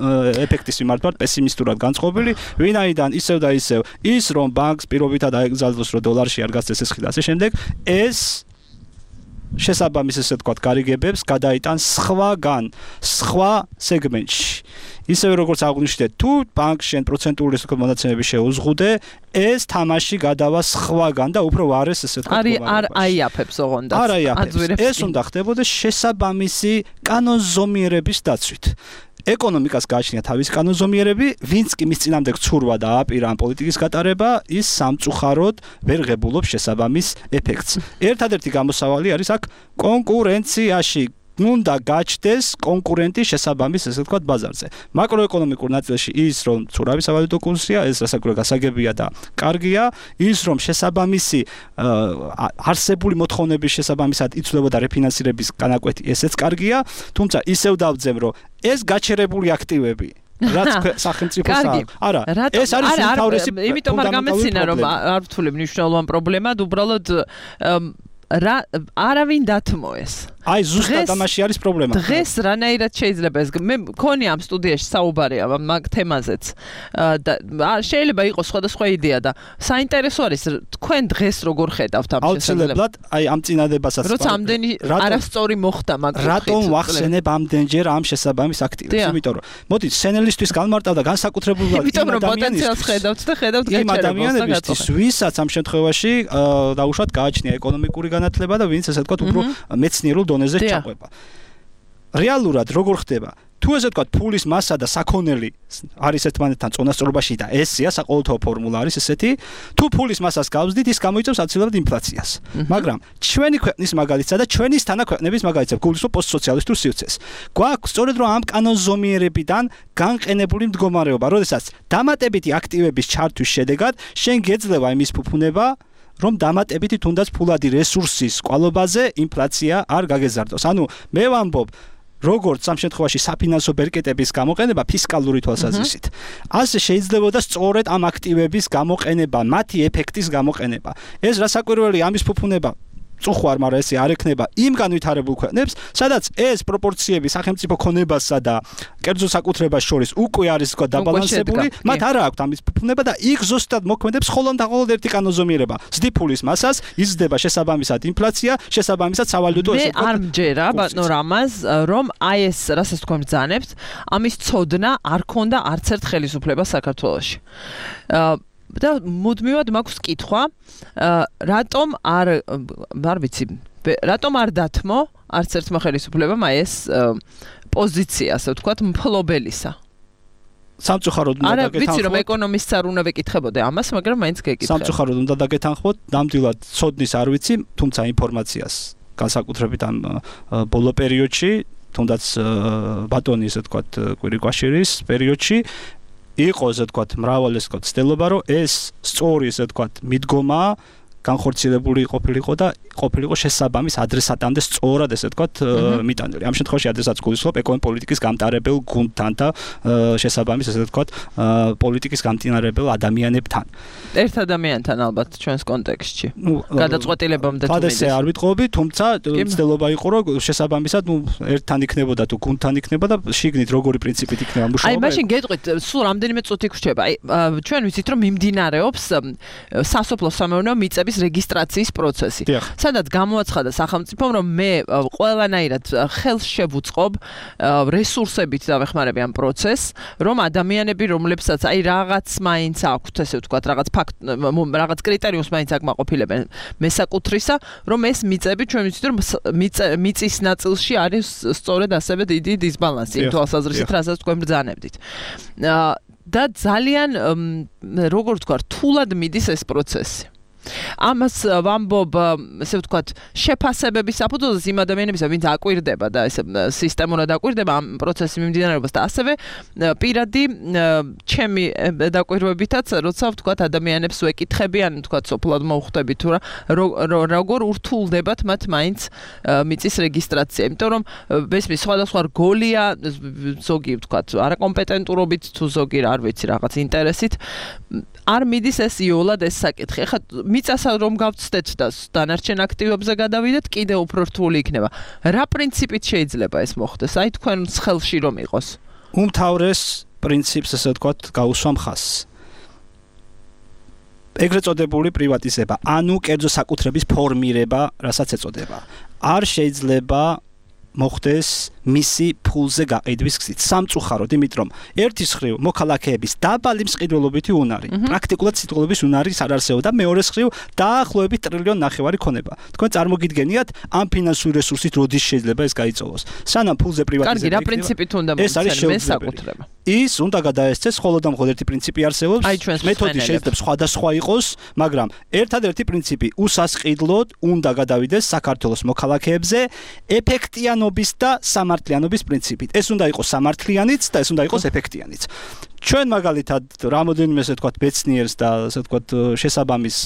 ეფექტის მიმართ პესიმისტურად განწყობილი, ვინაიდან ისევ და ისევ ის რომ ბანკს პირობითად აეგზავნოს რომ დოლარში არ გასცეს ეს ხილი და ასე შემდეგ, ეს შესაბამის ესე ვთქვათ გარიგებებს გადაიტან სხვა სეგმენტში. ისევე როგორც აღვნიშნეთ, თუ ბანკს შენ პროცენტული ესე ვთქვათ მონაცემები შეუზღუდე, ეს თამაში გადავა სხვაგან და უფრო ვარეს ესე ვთქვათ. არ აიაფებს ოღონდ. არ აიაფებს. ეს უნდა ხდებოდეს შესაბამისი კანონზომიერების დაცვით. ეკონომიკას გააჩნია თავის კანონზომიერები, ვინც კი მის წინამდე გცურვა და აპირა ამ პოლიტიკის გატარება, ის სამწუხაროდ ვერ ღებულობს შესაბამის ეფექტს. ერთადერთი გამოსავალი არის აქ კონკურენციაში. უნდა გაჩნდეს კონკურენტი შესაბამის ესე ვთქვათ ბაზარზე. მაკროეკონომიკურ ნაწილში ის რომ მცურავი სავალუტო კურსია, ეს რასაკვირველია გასაგებია და კარგია, ის რომ შესაბამისი არსებული მოთხოვნების შესაბამისად იცვლებოდა რეფინანსირების განაკვეთი, ესეც კარგია, თუმცა ისევ დავძემ რომ ეს გაჩერებული აქტივები რაც სახელმწიფოს არა ეს არის უმთავრესი იმიტომ არ გამეცინა რომ არ ვთვლი მნიშვნელოვან პრობლემად უბრალოდ არავინ დათმოეს. აი ზუსტად ამაში არის პრობლემა. დღეს რანაირად შეიძლება ეს მე მქონი ამ სტუდიაში საუბარი ამ თემაზეც და შეიძლება იყოს სხვადასხვა იდეა და საინტერესო არის თქვენ დღეს როგორ ხედავთ ამ შესაძლებლობას. აუცილებლად აი ამ წინადებასაც როცა ამდენი არასწორი მოხდა მაგრამ რატომ ვახსენებ ამდენჯერ ამ შესაბამის აქტივებს? იმიტომ რომ მოდი სენელისტვის განმარტავ და განსაკუთრებულად იმიტომ რომ პოტენციალს ხედავთ და ხედავთ ადამიანებისთვის ვისაც ამ შემთხვევაში დაუშვათ გააჩნია ეკონომიკური განათლება და ვინც ესე ვთქვათ უფრო მეცნიერულ დონეზე ჩაყვება. რეალურად როგორ ხდება? თუ ესე ვთქვათ ფულის მასა და საქონელი არის ერთმანეთთან წონასწორობაში და ესია საყოველთაო ფორმულა არის ესეთი, თუ ფულის მასას გავზდით, ის გამოიწვევს აბსოლუტურად ინფლაციას. მაგრამ ჩვენი ქვეყნის მაგალითსა და ჩვენის თანაქვეყნების მაგალითსა გულისხმობ პოსტსოციალისტურ სივრცეს. გვაქვს სწორედ რომ ამ კანონზომიერებიდან განყენებული მდგომარეობა, როდესაც დამატებითი აქტივების ჩართვის შედეგად შენ გეძლევა იმის ფუფუნება რომ დამატებითი თუნდაც ფულადი რესურსის კვალობაზე ინფლაცია არ გაგეზარდოს. ანუ მე ვამბობ როგორც ამ შემთხვევაში საფინანსო ბერკეტების გამოყენება ფისკალური თვალსაზრისით. ასე შეიძლებოდა სწორედ ამ აქტივების გამოყენება, მათი ეფექტის გამოყენება. ეს რასაკვირველია ამის ფუფუნება წუხვარ, მაგრამ ესე არ ექნება იმ განვითარებულ ქვეყნებს, სადაც ეს პროპორციები სახელმწიფო ქონებასა და კერძო საკუთრებას შორის უკვე არის თქვა დაბალანსებული, მათ არ აქვს ამის ფუფუნება და იქ ზუსტად მოქმედებს მხოლოდ ერთი კანონზომიერება. ზდიფულის მასას იზრდება შესაბამისად ინფლაცია, შესაბამისად სავალუტო ესე ვთქვათ. მე არ მჯერა ბატონო რამაზ, რომ აი ეს რასაც თქვენ ბრძანებთ, ამის ცოდნა არ ქონდა არც ერთ ხელისუფლებას საქართველოში. და მუდმივად მაქვს კითხვა, რატომ არ ვიცი, რატომ არ დათმო არც ერთმა ხელისუფლებამ აი ეს პოზიცია, ასე ვთქვათ, მფლობელისა. სამწუხაროდ უნდა დაგეთანხმოთ. არა, ვიცი რომ ეკონომისტს არ უნდა ვეკითხებოდე ამას, მაგრამ მაინც გეკითხე. სამწუხაროდ უნდა დაგეთანხმოთ, ნამდვილად ცოდნის არ ვიცი, თუმცა ინფორმაციას განსაკუთრებით ამ ბოლო პერიოდში, თუნდაც ბატონი ესე ვთქვათ კვირიკვაშირის პერიოდში იყო ესე ვთქვათ მრავალი ესე ვთქვათ ცდილობა რომ ეს სწორი ესე ვთქვათ მიდგომა განხორციელებული ყოფილიყო და ყოფილიყო შესაბამის ადრესატამდე სწორად ესე ვთქვათ მიტანილი. ამ შემთხვევაში ადრესატს გულისხმობ ეკონომიკის გამტარებელ გუნდთან და შესაბამის ესე ვთქვათ პოლიტიკის გამტარებელ ადამიანებთან. ერთ ადამიანთან ალბათ ჩვენს კონტექსტში. გადაწყვეტილებამდე თუ მიდის. არ ვიტყობი, თუმცა ცდილობა იყო რომ შესაბამისად ერთთან იქნებოდა თუ გუნდთან იქნებოდა და შიგნით როგორი პრინციპით იქნება მუშაობა. აი მაშინ გეტყვით, სულ რამდენიმე წუთი გრჩება. აი ჩვენ ვიცით რომ მიმდინარეობს სასოფლო-სამეურნეო მიწების რეგისტრაციის პროცესი. სადაც გამოაცხადა სახელმწიფომ რომ მე ყველანაირად ხელს შევუწყობ რესურსებით დავეხმარები ამ პროცესს, რომ ადამიანები რომლებსაც აი რაღაც მაინც აქვთ, ესე ვთქვათ, რაღაც კრიტერიუმს მაინც აკმაყოფილებენ მესაკუთრისა, რომ ეს მიწები ჩვენ ვიცით რომ მიწის ნაწილში არის სწორედ ასევე დიდი დისბალანსი იმ თვალსაზრისით, რასაც თქვენ ბრძანებდით. და ძალიან როგორ ვთქვა, რთულად მიდის ეს პროცესი. ამას ვამბობ, ესე ვთქვათ, შეფასებების საფუძველზე იმ ადამიანებისა, ვინც აკვირდება და ესე სისტემურად აკვირდება ამ პროცესის მიმდინარეობას და ასევე პირადი ჩემი დაკვირვებითაც, როცა ვთქვათ, ადამიანებს ვეკითხები, ან ვთქვათ, სოფლად მოვხვდები თუ როგორ ურთულდებათ მათ მაინც მიწის რეგისტრაცია, იმიტომ რომ ბესმის სხვადასხვა რგოლია, ზოგი ვთქვათ, არაკომპეტენტურობით თუ ზოგი არ ვიცი, რაღაც ინტერესით არ მიდის ეს იოლად ეს საკითხი. ხა მიწასა რომ გავცდეთ და დანარჩენ აქტივებზე გადავიდეთ, კიდე უფრო რთული იქნება. რა პრინციპით შეიძლება ეს მოხდეს? აი თქვენს ხელში რომ იყოს. უმთავრეს პრინციპს ესე ვთქვათ, გაუსვამ ხაზს. ეგრეთ წოდებული პრივატიზება, ანუ კერძო საკუთრების ფორმირება, რასაც ეწოდება. არ შეიძლება მოხდეს მისი ფულზე გაყიდვის გზით. სამწუხაროდ, იმიტომ რომ ერთის მხრივ მოქალაქეების დაბალი მსყიდველობითი უნარი, პრაქტიკულად სიტყვების უნარის არ არსებობს და მეორეს მხრივ დაახლოებით ტრილიონ ნახევარი ქონება. თქვენ წარმოგიდგენიათ ამ ფინანსური რესურსით როდის შეიძლება ეს გაიწოვოს. სანამ ფულზე პრივატიზება კარგი, რა პრინციპით უნდა მოხდეს საკუთრება? ის უნდა გადაესწეს მხოლოდ და მხოლოდ ერთი პრინციპი არსებობს. მეთოდი შეიძლება სხვადასხვა იყოს, მაგრამ ერთადერთი პრინციპი უსასყიდლოდ უნდა გადავიდეს საქართველოს მოქალაქეებზე ეფექტიანობის და სამართლიანობის პრინციპით. ეს უნდა იყოს სამართლიანიც და ეს უნდა იყოს ეფექტიანიც. ჩვენ მაგალითად რამოდენიმე ესე ვთქვათ ბეცნიერს და ესე ვთქვათ შესაბამის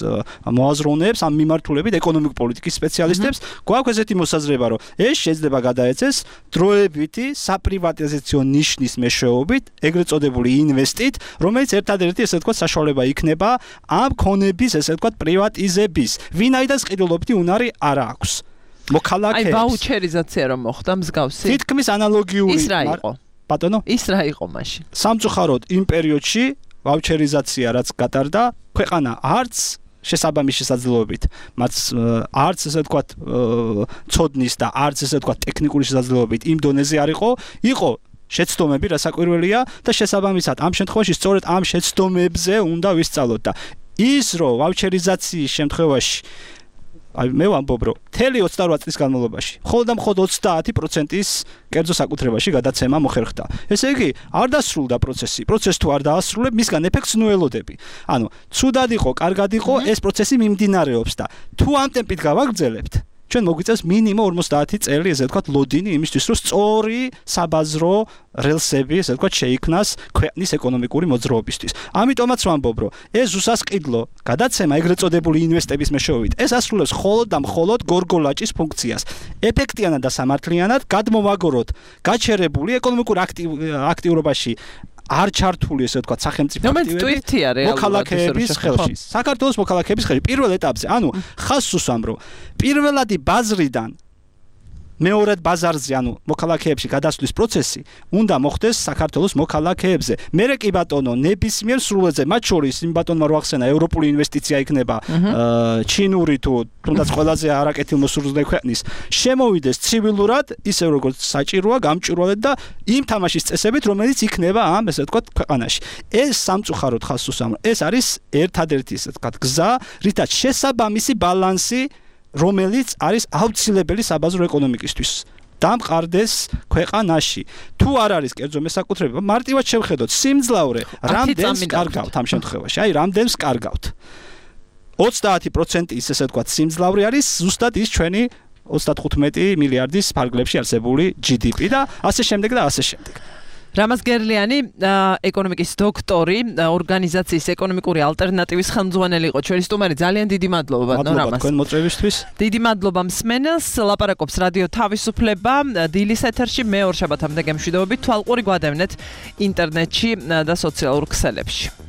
მოაზროვნეებს ამ მიმართულებით ეკონომიკური პოლიტიკის სპეციალისტებს გვაქვს ესეთი მოსაზრება რომ ეს შეიძლება გადაეცეს დროებითი საპრივატიზაციო ნიშნის მეშვეობით ეგრეთ წოდებული ინვესტით რომელიც ერთადერთი ესე ვთქვათ საშუალება იქნება ამ ქონების ესე ვთქვათ პრივატიზების ვინაიდან ყიდულობითი უნარი არ აქვს მოქალაქეებს. აი ვაუჩერიზაცია რომ მოხდა მსგავსი. თითქმის ანალოგიური. ის რა იყო? ბატონო? ის რა იყო მაშინ? სამწუხაროდ იმ პერიოდში ვაუჩერიზაცია რაც გატარდა, ქვეყანა არც შესაბამის შესაძლებლობით, მათ არც ესე ვთქვათ ცოდნის და არც ესე ვთქვათ ტექნიკური შესაძლებლობით იმ დონეზე არ იყო შეცდომები, რასაკვირველია და შესაბამისად ამ შემთხვევაში სწორედ ამ შეცდომებზე უნდა ვისწავლოთ და ის რომ ვაუჩერიზაციის შემთხვევაში აი მე ვამბობ რომ მთელი 28 წლის განმავლობაში მხოლოდ 30%-ის კერძო საკუთრებაში გადაცემა მოხერხდა. ესე იგი, არ დასრულდა პროცესი. პროცესი თუ არ დაასრულებ, მისგან ეფექტს ნუ ელოდები. ანუ, ცუდად იყო, კარგად იყო, ეს პროცესი მიმდინარეობს და თუ ამ ტემპით გავაგრძელებთ, ჩვენ მოგვიწევს მინიმუმ 50 წელი, ესე ვთქვათ, ლოდინი იმისთვის, რომ სწორი საბაზრო რელსები, ესე ვთქვათ, შეიქმნას ქვეყნის ეკონომიკური მოძრაობისთვის. ამიტომაც ვამბობ, რომ ეს უსასყიდლო გადაცემა ეგრეთ წოდებული ინვესტების მეშვეობით, ეს ასრულებს მხოლოდ და მხოლოდ გორგოლაჭის ფუნქციას. ეფექტიანად და სამართლიანად გადმოვაგოროთ გაჩერებული ეკონომიკურ აქტიურობაში არ ჩართული ესე ვთქვათ სახელმწიფო აქტივები მოქალაქეების ხელში. საქართველოს მოქალაქეების ხელში პირველ ეტაპზე, ანუ ხაზს უსვამ რომ პირველადი ბაზრიდან მეორედ ბაზარზე, ანუ მოქალაქეებში გადასვლის პროცესი უნდა მოხდეს საქართველოს მოქალაქეებზე. მერე კი ბატონო, ნებისმიერ სრულეზე, მათ შორის იმ ბატონმა რო ახსენა ევროპული ინვესტიცია იქნება, ჩინური თუ თუნდაც ყველაზე არაკეთილმოსურველი ქვეყნის, შემოვიდეს ცივილურად, ისე როგორც საჭიროა, გამჭვირვალედ და იმ თამაშის წესებით, რომელიც იქნება ამ, ესე ვთქვათ, ქვეყანაში. ეს სამწუხაროდ ხაზს უსვამ. ეს არის ერთადერთი, ესე ვთქვათ, გზა, რითაც შესაბამისი ბალანსი რომელიც არის აუცილებელი საბაზრო ეკონომიკისთვის. დამყარდეს ქვეყანაში. თუ არ არის კერძო მესაკუთრება, მარტივად შევხედოთ სიმძლავრე, რამდენს კარგავთ ამ შემთხვევაში. აი, რამდენს კარგავთ. 30% ის ესე ვთქვათ, სიმძლავრე არის ზუსტად ის ჩვენი 35 მილიარდის ფარგლებში არსებული GDP და ასე შემდეგ და ასე შემდეგ. რამაზ გერლიანი, ეკონომიკის დოქტორი, ორგანიზაციის ეკონომიკური ალტერნატივის ხელმძღვანელი იყო ჩვენი სტუმარი. ძალიან დიდი მადლობა ბატონო რამაზ. მადლობა თქვენ მოწვევისთვის. დიდი მადლობა მსმენელს. ლაპარაკობს რადიო თავისუფლება დილის ეთერში მე ორ შაბათამდე გემშვიდობებით. თვალყური გვადევნეთ ინტერნეტში და სოციალურ ქსელებში.